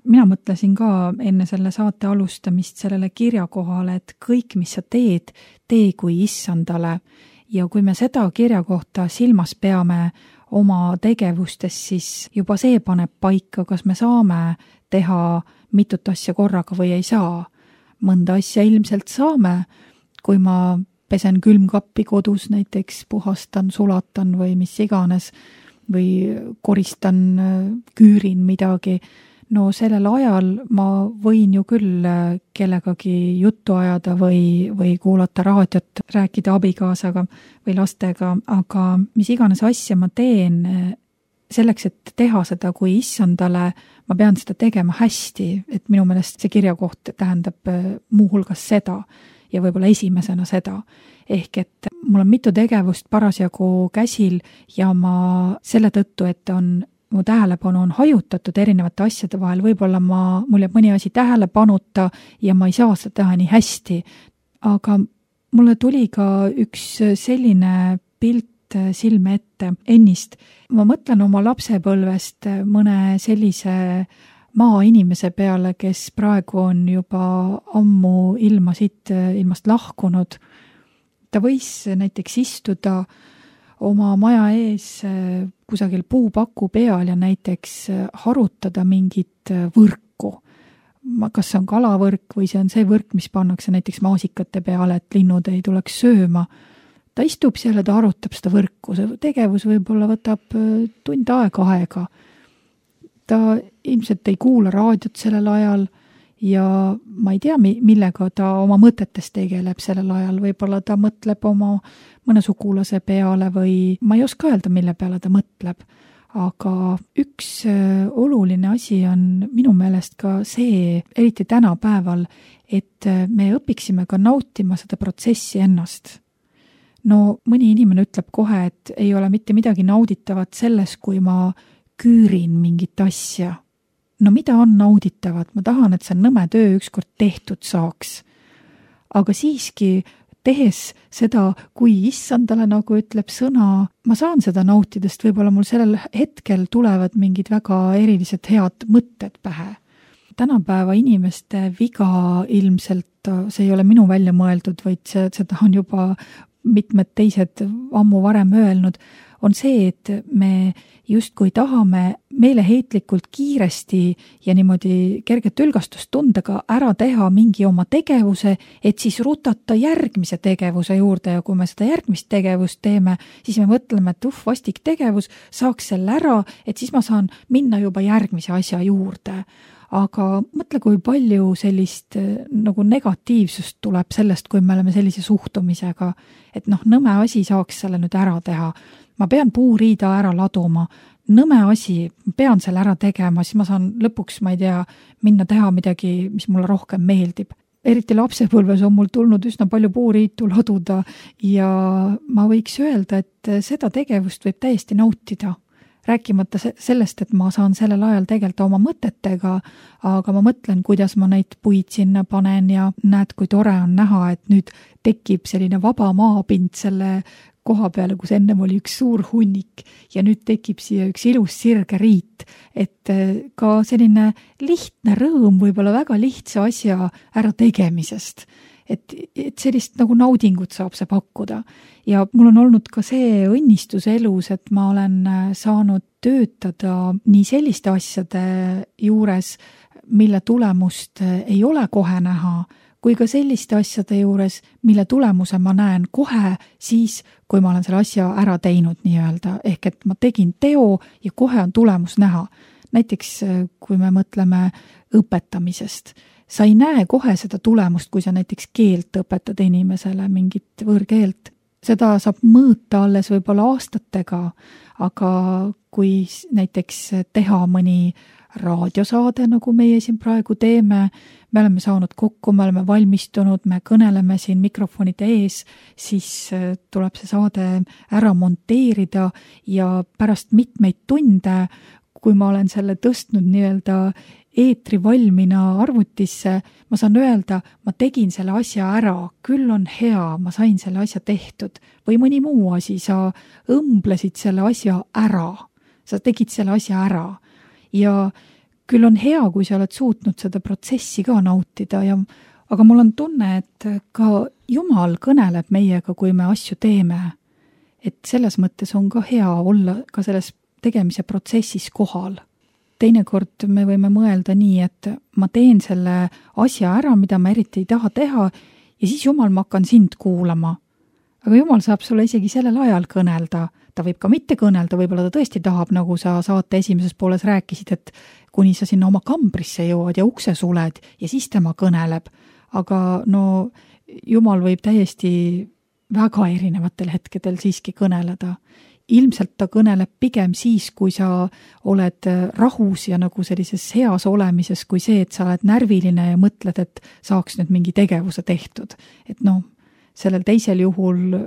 Mina mõtlesin ka enne selle saate alustamist sellele kirja kohale, et kõik, mis sa teed, tee kui issandale. Ja kui me seda kirja kohta silmas peame oma tegevustes, siis juba see paneb paika, kas me saame teha mitut asja korraga või ei saa. Mõnda asja ilmselt saame, kui ma pesen külmkappi kodus, näiteks puhastan, sulatan või mis iganes, või koristan, küürin midagi. No sellel ajal ma võin ju küll kellegagi juttu ajada või, või kuulata raadiot, rääkida abikaasaga või lastega, aga mis iganes asja ma teen, selleks, et teha seda kui issandale, ma pean seda tegema hästi, et minu meelest see kirjakoht tähendab muuhulgas seda ja võib-olla esimesena seda. Ehk et mul on mitu tegevust parasjagu käsil ja ma selle tõttu, et on mu tähelepanu on hajutatud erinevate asjade vahel, võib-olla ma, mul jääb mõni asi tähelepanuta ja ma ei saa seda teha nii hästi. Aga mulle tuli ka üks selline pilt silme ette ennist. Ma mõtlen oma lapsepõlvest mõne sellise maainimese peale, kes praegu on juba ammu ilma siit ilmast lahkunud. Ta võis näiteks istuda oma maja ees kusagil puupaku peal ja näiteks harutada mingit võrku. Kas see on kalavõrk või see on see võrk, mis pannakse näiteks maasikate peale, et linnud ei tuleks sööma. Ta istub seal ja ta arutab seda võrku. See tegevus võib-olla võtab tund aega aega. Ta ilmselt ei kuula raadiot sellel ajal ja ma ei tea, millega ta oma mõtetes tegeleb sellel ajal. Võib-olla ta mõtleb oma mõne sugulase peale või ma ei oska öelda, mille peale ta mõtleb. Aga üks oluline asi on minu meelest ka see, eriti tänapäeval, et me õpiksime ka nautima seda protsessi ennast. No mõni inimene ütleb kohe, et ei ole mitte midagi nauditavat selles, kui ma küürin mingit asja. No mida on nauditavat? Ma tahan, et see nõme töö ükskord tehtud saaks. Aga siiski tehes seda, kui issandale, nagu ütleb sõna, ma saan seda nautidest, võib-olla mul sellel hetkel tulevad mingid väga erilised head mõtted pähe. Tänapäeva inimeste viga ilmselt, see ei ole minu välja mõeldud, vaid see, seda on juba mitmed teised ammu varem öelnud, on see, et me justkui tahame meeleheitlikult kiiresti ja niimoodi kerget ülgastustundega ära teha mingi oma tegevuse, et siis rutata järgmise tegevuse juurde ja kui me seda järgmist tegevust teeme, siis me mõtleme, et uh, vastik tegevus, saaks selle ära, et siis ma saan minna juba järgmise asja juurde. Aga mõtle, kui palju sellist nagu negatiivsust tuleb sellest, kui me oleme sellise suhtumisega, et noh, nõme asi saaks selle nüüd ära teha. Ma pean puuriida ära laduma, nõme asi, pean selle ära tegema, siis ma saan lõpuks, ma ei tea, minna teha midagi, mis mulle rohkem meeldib. Eriti lapsepõlves on mul tulnud üsna palju puuriitu laduda ja ma võiks öelda, et seda tegevust võib täiesti nautida. Rääkimata sellest, et ma saan sellel ajal tegeleda oma mõtetega, aga ma mõtlen, kuidas ma neid puid sinna panen ja näed, kui tore on näha, et nüüd tekib selline vaba maapind selle koha peale, kus ennem oli üks suur hunnik ja nüüd tekib siia üks ilus sirge riit, et ka selline lihtne rõõm võib-olla väga lihtsa asja ära tegemisest. Et, et sellist nagu naudingut saab see pakkuda. Ja mul on olnud ka see õnnistus elus, et ma olen saanud töötada nii selliste asjade juures, mille tulemust ei ole kohe näha, kui ka selliste asjade juures, mille tulemuse ma näen kohe siis, kui ma olen selle asja ära teinud nii-öelda. Ehk et ma tegin teo ja kohe on tulemus näha. Näiteks, kui me mõtleme õpetamisest, sa ei näe kohe seda tulemust, kui sa näiteks keelt õpetad inimesele, mingit võõrkeelt. Seda saab mõõta alles võib-olla aastatega, aga kui näiteks teha mõni raadiosaade, nagu meie siin praegu teeme, me oleme saanud kokku, me oleme valmistunud, me kõneleme siin mikrofonide ees, siis tuleb see saade ära monteerida ja pärast mitmeid tunde, kui ma olen selle tõstnud nii-öelda eetri valmina arvutisse, ma saan öelda, ma tegin selle asja ära, küll on hea, ma sain selle asja tehtud. Või mõni muu asi, sa õmblesid selle asja ära, sa tegid selle asja ära. Ja küll on hea, kui sa oled suutnud seda protsessi ka nautida, ja, aga mul on tunne, et ka Jumal kõneleb meiega, kui me asju teeme. Et selles mõttes on ka hea olla ka selles tegemise protsessis kohal. Teinekord me võime mõelda nii, et ma teen selle asja ära, mida ma eriti ei taha teha ja siis Jumal, ma hakkan sind kuulama. Aga Jumal saab sulle isegi sellel ajal kõnelda. Ta võib ka mitte kõnelda, võib-olla ta tõesti tahab, nagu sa saate esimeses pooles rääkisid, et kuni sa sinna oma kambrisse jõuad ja ukse suled ja siis tema kõneleb. Aga no Jumal võib täiesti väga erinevatel hetkedel siiski kõneleda. Ilmselt ta kõneleb pigem siis, kui sa oled rahus ja nagu sellises heas olemises, kui see, et sa oled närviline ja mõtled, et saaks nüüd mingi tegevuse tehtud. Et noh, sellel teisel juhul,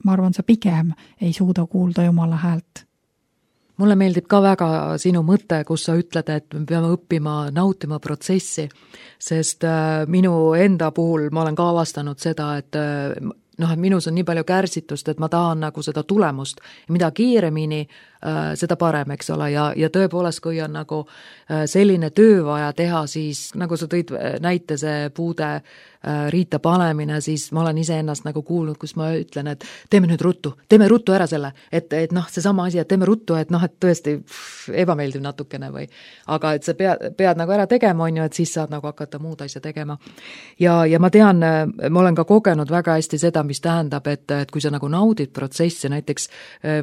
ma arvan, sa pigem ei suuda kuulda Jumala häält. mulle meeldib ka väga sinu mõte, kus sa ütled, et me peame õppima nautima protsessi, sest minu enda puhul ma olen ka avastanud seda, et noh, et minus on nii palju kärsitust, et ma tahan nagu seda tulemust ja mida kiiremini äh, seda parem, eks ole, ja, ja tõepoolest, kui on nagu äh, selline töö vaja teha, siis nagu sa tõid näite see puude äh, riita panemine, siis ma olen ise ennast nagu kuulnud, kus ma ütlen, et teeme nüüd ruttu, teeme ruttu ära selle, et, et noh, see sama asi, et teeme ruttu, et noh, et tõesti pff, ebameeldiv natukene või, aga et sa pead, pead nagu ära tegema, on ju, et siis saad nagu hakata muud asja tegema. Ja, ja ma tean, ma olen ka kogenud väga hästi seda, mis tähendab, et, et kui sa nagu naudid protsessi, näiteks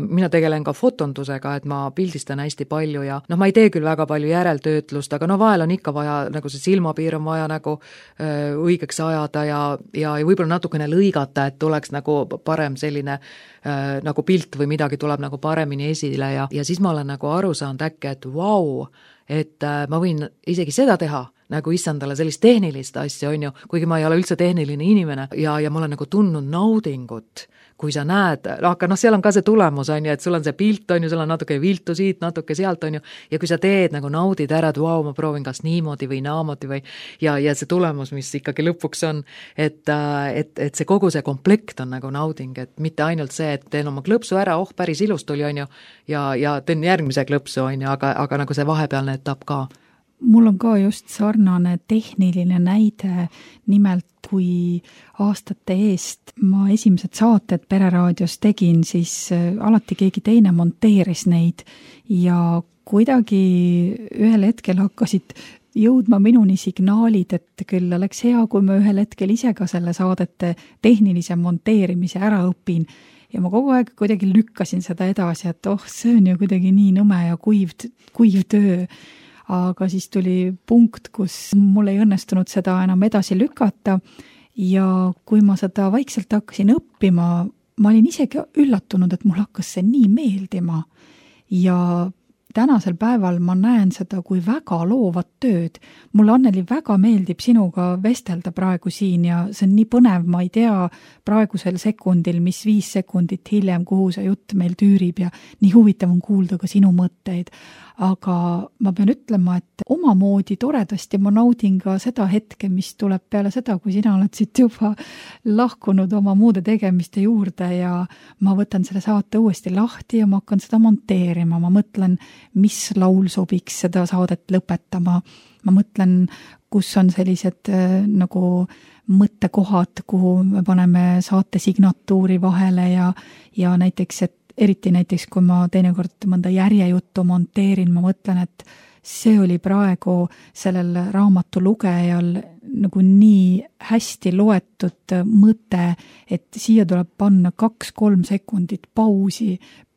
mina tegelen ka fotondusega, et ma pildistan hästi palju ja noh, ma ei tee küll väga palju järeltöötlust, aga no vahel on ikka vaja, nagu see silmapiir on vaja nagu öö, õigeks ajada ja, ja, ja võib-olla natukene lõigata, et tuleks nagu parem selline öö, nagu pilt või midagi tuleb nagu paremini esile ja, ja siis ma olen nagu aru saanud äkki, et vau, et äh, ma võin isegi seda teha, nagu issandale sellist tehnilist asja, on ju, kuigi ma ei ole üldse tehniline inimene ja, ja ma olen nagu tundnud naudingut, kui sa näed, aga noh, seal on ka see tulemus, on ju, et sul on see pilt, on ju, sul on natuke viltu siit, natuke sealt, on ju, ja kui sa teed, nagu naudid ära, et vau, ma proovin kas niimoodi või naamoodi või ja, ja see tulemus, mis ikkagi lõpuks on, et, et, et see kogu see komplekt on nagu nauding, et mitte ainult see, et teen oma klõpsu ära, oh, päris ilus tuli, on ju, ja, ja teen järgmise klõpsu, on ju, aga, aga nagu see vahepealne etapp ka. Mul on ka just sarnane tehniline näide, nimelt kui aastate eest ma esimesed saated Pereraadios tegin, siis alati keegi teine monteeris neid ja kuidagi ühel hetkel hakkasid jõudma minuni signaalid, et küll oleks hea, kui ma ühel hetkel ise ka selle saadete tehnilise monteerimise ära õpin. Ja ma kogu aeg kuidagi lükkasin seda edasi, et oh, see on ju kuidagi nii nõme ja kuiv, kuiv töö. Aga siis tuli punkt, kus mul ei õnnestunud seda enam edasi lükata ja kui ma seda vaikselt hakkasin õppima, ma olin isegi üllatunud, et mul hakkas see nii meeldima ja tänasel päeval ma näen seda kui väga loovat tööd. Mulle, Anneli, väga meeldib sinuga vestelda praegu siin ja see on nii põnev, ma ei tea praegusel sekundil, mis viis sekundit hiljem, kuhu see jutt meil tüürib ja nii huvitav on kuulda ka sinu mõtteid. Aga ma pean ütlema, et omamoodi toredasti ma naudin ka seda hetke, mis tuleb peale seda, kui sina oled siit juba lahkunud oma muude tegemiste juurde ja ma võtan selle saate uuesti lahti ja ma hakkan seda monteerima. Ma mõtlen, mis laul sobiks seda saadet lõpetama. Ma mõtlen, kus on sellised äh, nagu mõttekohad, kuhu me paneme saate signatuuri vahele ja, ja näiteks, et eriti näiteks, kui ma teinekord mõnda järjejuttu monteerin, ma mõtlen, et see oli praegu sellel raamatu lugejal nagu nii hästi loetud mõte, et siia tuleb panna kaks-kolm sekundit pausi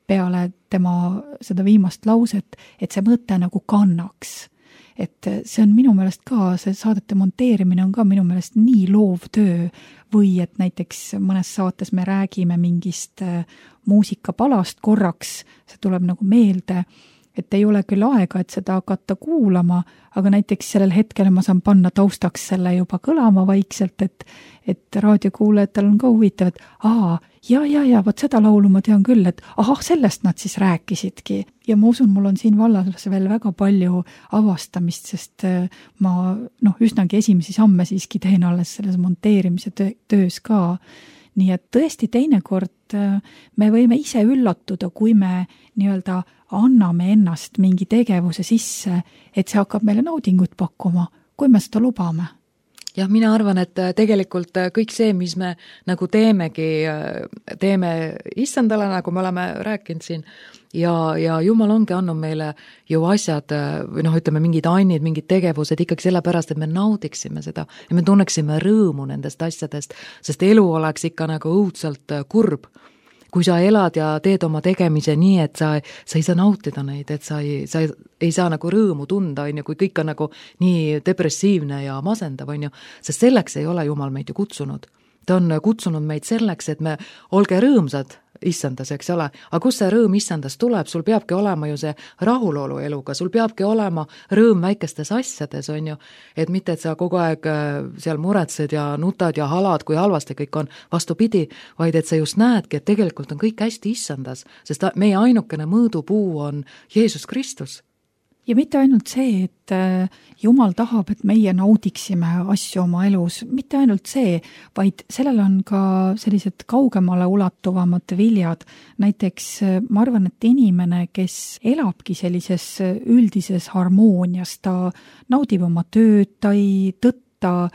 peale tema seda viimast lauset, et see mõte nagu kannaks. Et see on minu meelest ka, see saadete monteerimine on ka minu meelest nii loov töö või et näiteks mõnes saates me räägime mingist muusikapalast korraks, see tuleb nagu meelde, et ei ole küll aega, et seda hakata kuulama, aga näiteks sellel hetkel ma saan panna taustaks selle juba kõlama vaikselt, et, et raadiokuulajatel on ka huvitav, et aa, ja, ja, ja, võt seda laulu ma tean küll, et ahah, sellest nad siis rääkisidki. Ja ma usun, mul on siin vallas veel väga palju avastamist, sest ma noh, üsnagi esimesi samme siiski teen alles selles monteerimise töös ka. Nii et tõesti teinekord me võime ise üllatuda, kui me nii-öelda anname ennast mingi tegevuse sisse, et see hakkab meile naudingut pakkuma, kui me seda lubame. Jah, mina arvan, et tegelikult kõik see, mis me nagu teemegi, teeme issandale, nagu me oleme rääkinud siin, ja, ja Jumal ongi andnud meile ju asjad, või noh, ütleme mingid annid, mingid tegevused ikkagi sellepärast, et me naudiksime seda ja me tunneksime rõõmu nendest asjadest, sest elu oleks ikka nagu õudselt kurb. Kui sa elad ja teed oma tegemise nii, et sa, sa ei saa nautida neid, et sa ei, sa ei, ei saa nagu rõõmu tunda, on ju, kui kõik on nagu nii depressiivne ja masendav, on ju, sest selleks ei ole Jumal meid ju kutsunud. ta on kutsunud meid selleks, et me olge rõõmsad issandas, eks ole, aga kus see rõõm issandas tuleb, sul peabki olema ju see rahulolu eluga, sul peabki olema rõõm väikestes asjades, on ju, et mitte, et sa kogu aeg seal muretsed ja nutad ja halad, kui halvasti kõik on, vastupidi, vaid et sa just näedki, et tegelikult on kõik hästi issandas, sest meie ainukene mõõdupuu on Jeesus Kristus. Ja mitte ainult see, et Jumal tahab, et meie naudiksime asju oma elus, mitte ainult see, vaid sellel on ka sellised kaugemale ulatuvamad viljad. Näiteks ma arvan, et inimene, kes elabki sellises üldises harmoonias, ta naudib oma tööd, ta ei tõtta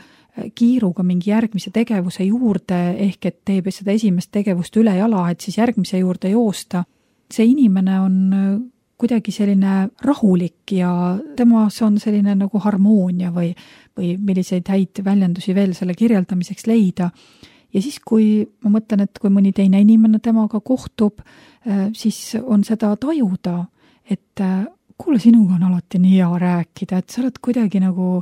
kiiruga mingi järgmise tegevuse juurde, ehk et teeb seda esimest tegevust üle jala, et siis järgmise juurde joosta. See inimene on kuidagi selline rahulik ja temas on selline nagu harmoonia või, või milliseid häid väljendusi veel selle kirjeldamiseks leida. Ja siis, kui ma mõtlen, et kui mõni teine inimene temaga kohtub, siis on seda tajuda, et kuule, sinuga on alati nii hea rääkida, et sa oled kuidagi nagu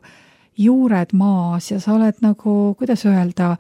juured maas ja sa oled nagu, kuidas öelda,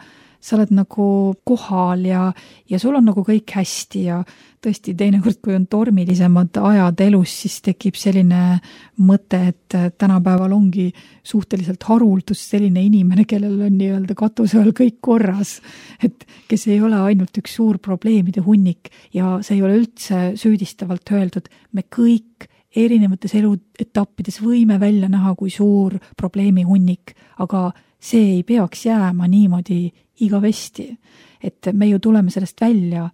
sa oled nagu kohal ja, ja sul on nagu kõik hästi ja tõesti teinekord, kui on tormilisemad ajad elus, siis tekib selline mõte, et tänapäeval ongi suhteliselt haruldus selline inimene, kellel on nii-öelda katuse all kõik korras, et kes ei ole ainult üks suur probleemide hunnik ja see ei ole üldse süüdistavalt öeldud, me kõik erinevates eluetappides võime välja näha kui suur probleemi hunnik, aga see ei peaks jääma niimoodi igavesti, et me ju tuleme sellest välja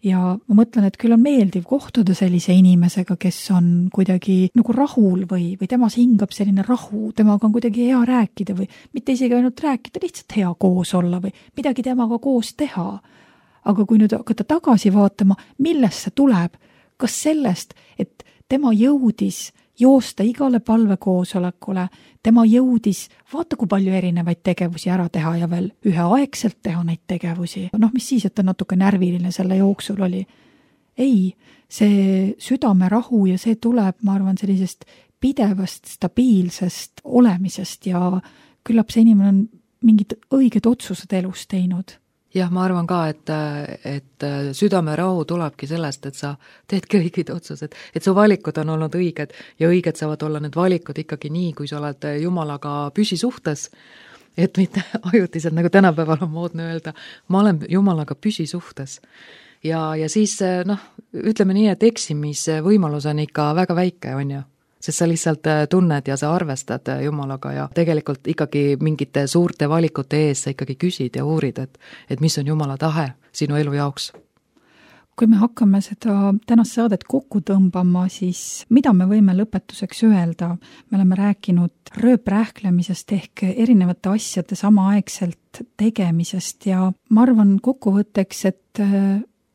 ja ma mõtlen, et küll on meeldiv kohtuda sellise inimesega, kes on kuidagi nagu rahul või, või temas hingab selline rahu, temaga on kuidagi hea rääkida või mitte isegi ainult rääkida, lihtsalt hea koos olla või midagi temaga koos teha. Aga kui nüüd hakata tagasi vaatama, millest see tuleb, kas sellest, et tema jõudis joosta igale palvekoosolekule, tema jõudis, vaata kui palju erinevaid tegevusi ära teha ja veel üheaegselt teha neid tegevusi. Noh, mis siis, et ta natuke närviline selle jooksul oli. Ei, see südame rahu ja see tuleb, ma arvan, sellisest pidevast, stabiilsest olemisest ja küllap see inimene on mingid õiged otsused elus teinud. Jah, ma arvan ka, et, et südame rahu tulebki sellest, et sa teedki õiged otsused, et su valikud on olnud õiged ja õiged saavad olla need valikud ikkagi nii, kui sa oled Jumalaga püsisuhtes, et mitte ajutiselt, nagu tänapäeval on moodne öelda, ma olen Jumalaga püsisuhtes. Ja, ja siis, noh, ütleme nii, et eksimise võimalus on ikka väga väike, on ju? Sest sa lihtsalt tunned ja sa arvestad Jumalaga ja tegelikult ikkagi mingite suurte valikute ees sa ikkagi küsid ja uurid, et, et mis on Jumala tahe sinu elu jaoks. Kui me hakkame seda tänast saadet kokku tõmbama, siis mida me võime lõpetuseks öelda? Me oleme rääkinud rööprähklemisest ehk erinevate asjade samaaegselt tegemisest ja ma arvan kokkuvõtteks, et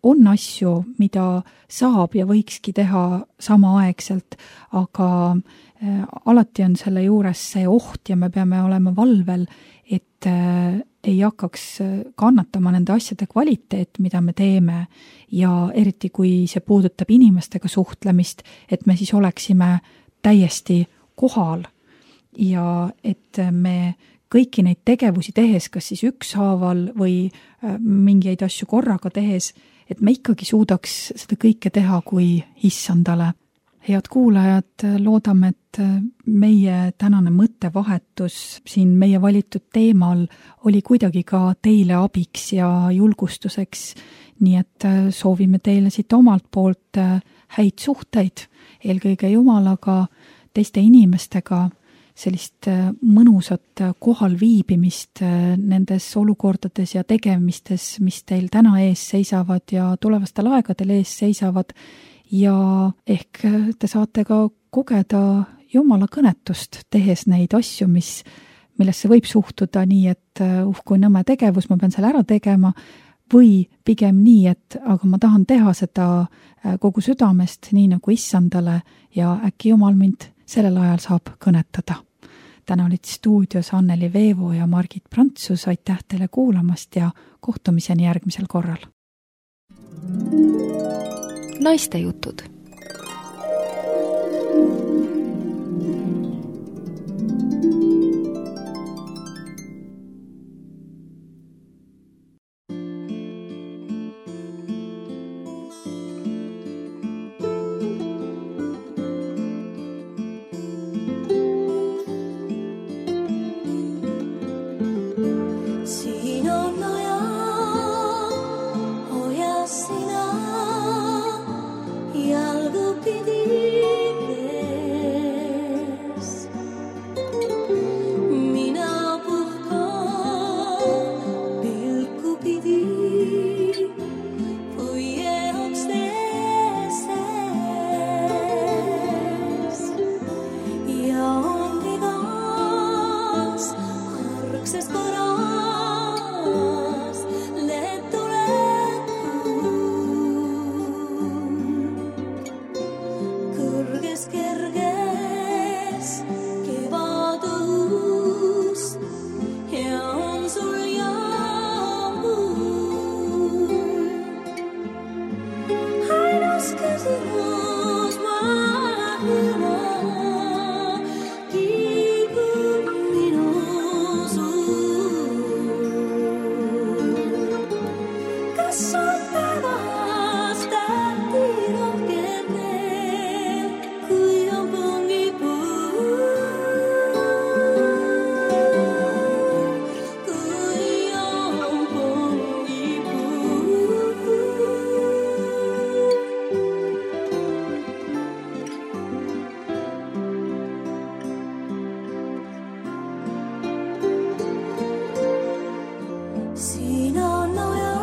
on asju, mida saab ja võikski teha samaaegselt, aga alati on selle juures see oht ja me peame olema valvel, et ei hakkaks kannatama nende asjade kvaliteet, mida me teeme ja eriti, kui see puudutab inimestega suhtlemist, et me siis oleksime täiesti kohal ja et me kõiki neid tegevusi tehes, kas siis ükshaaval või mingeid asju korraga tehes, et me ikkagi suudaks seda kõike teha kui issandale. Head kuulajad, loodame, et meie tänane mõttevahetus siin meie valitud teemal oli kuidagi ka teile abiks ja julgustuseks, nii et soovime teile siit omalt poolt häid suhteid, eelkõige Jumalaga, teiste inimestega, sellist mõnusat kohal viibimist nendes olukordades ja tegemistes, mis teil täna ees seisavad ja tulevastel aegadel ees seisavad ja ehk te saate ka kogeda Jumala kõnetust, tehes neid asju, mis, millesse võib suhtuda nii, et uh kui nõme tegevus, ma pean selle ära tegema, või pigem nii, et aga ma tahan teha seda kogu südamest, nii nagu issandale ja äkki Jumal mind sellel ajal saab kõnetada. Täna olid stuudios Anneli Veevo ja Margit Prantsus, aitäh teile kuulamast ja kohtumiseni järgmisel korral. Naistejutud. kerges kevadus ja on sul jaamul. Ainus küsimus maailma kiibub minu suul. Kas on päevas tähti rohkem veel, kui on pungipuu? Kui on pungipuu. Siin on oja,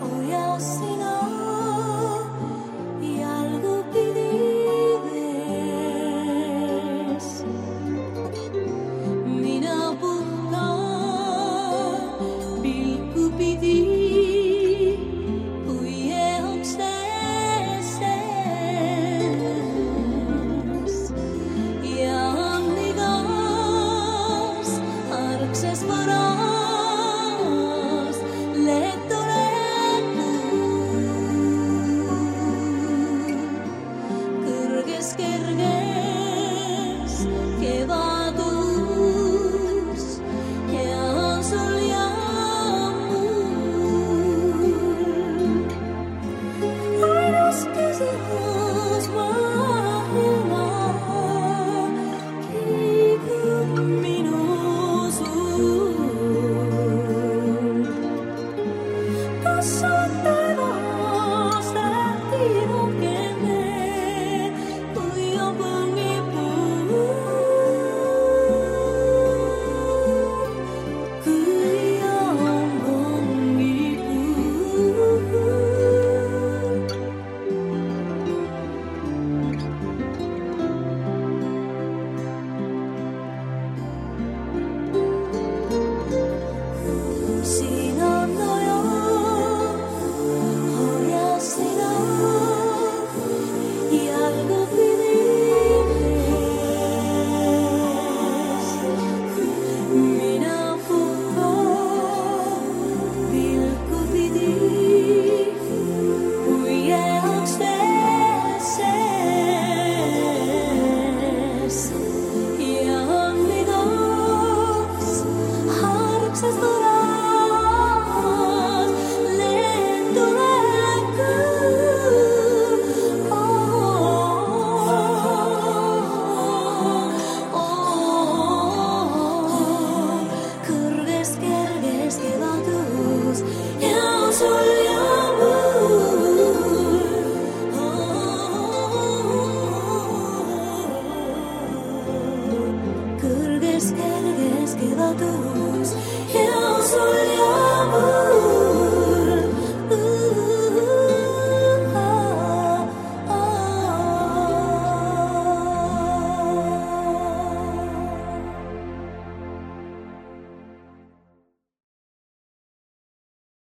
hoia sina jalgupidi vees. Mina puhkan pilku pidi puie uksteses. Ja on igas argses varas lehto kõrges kerges kevad.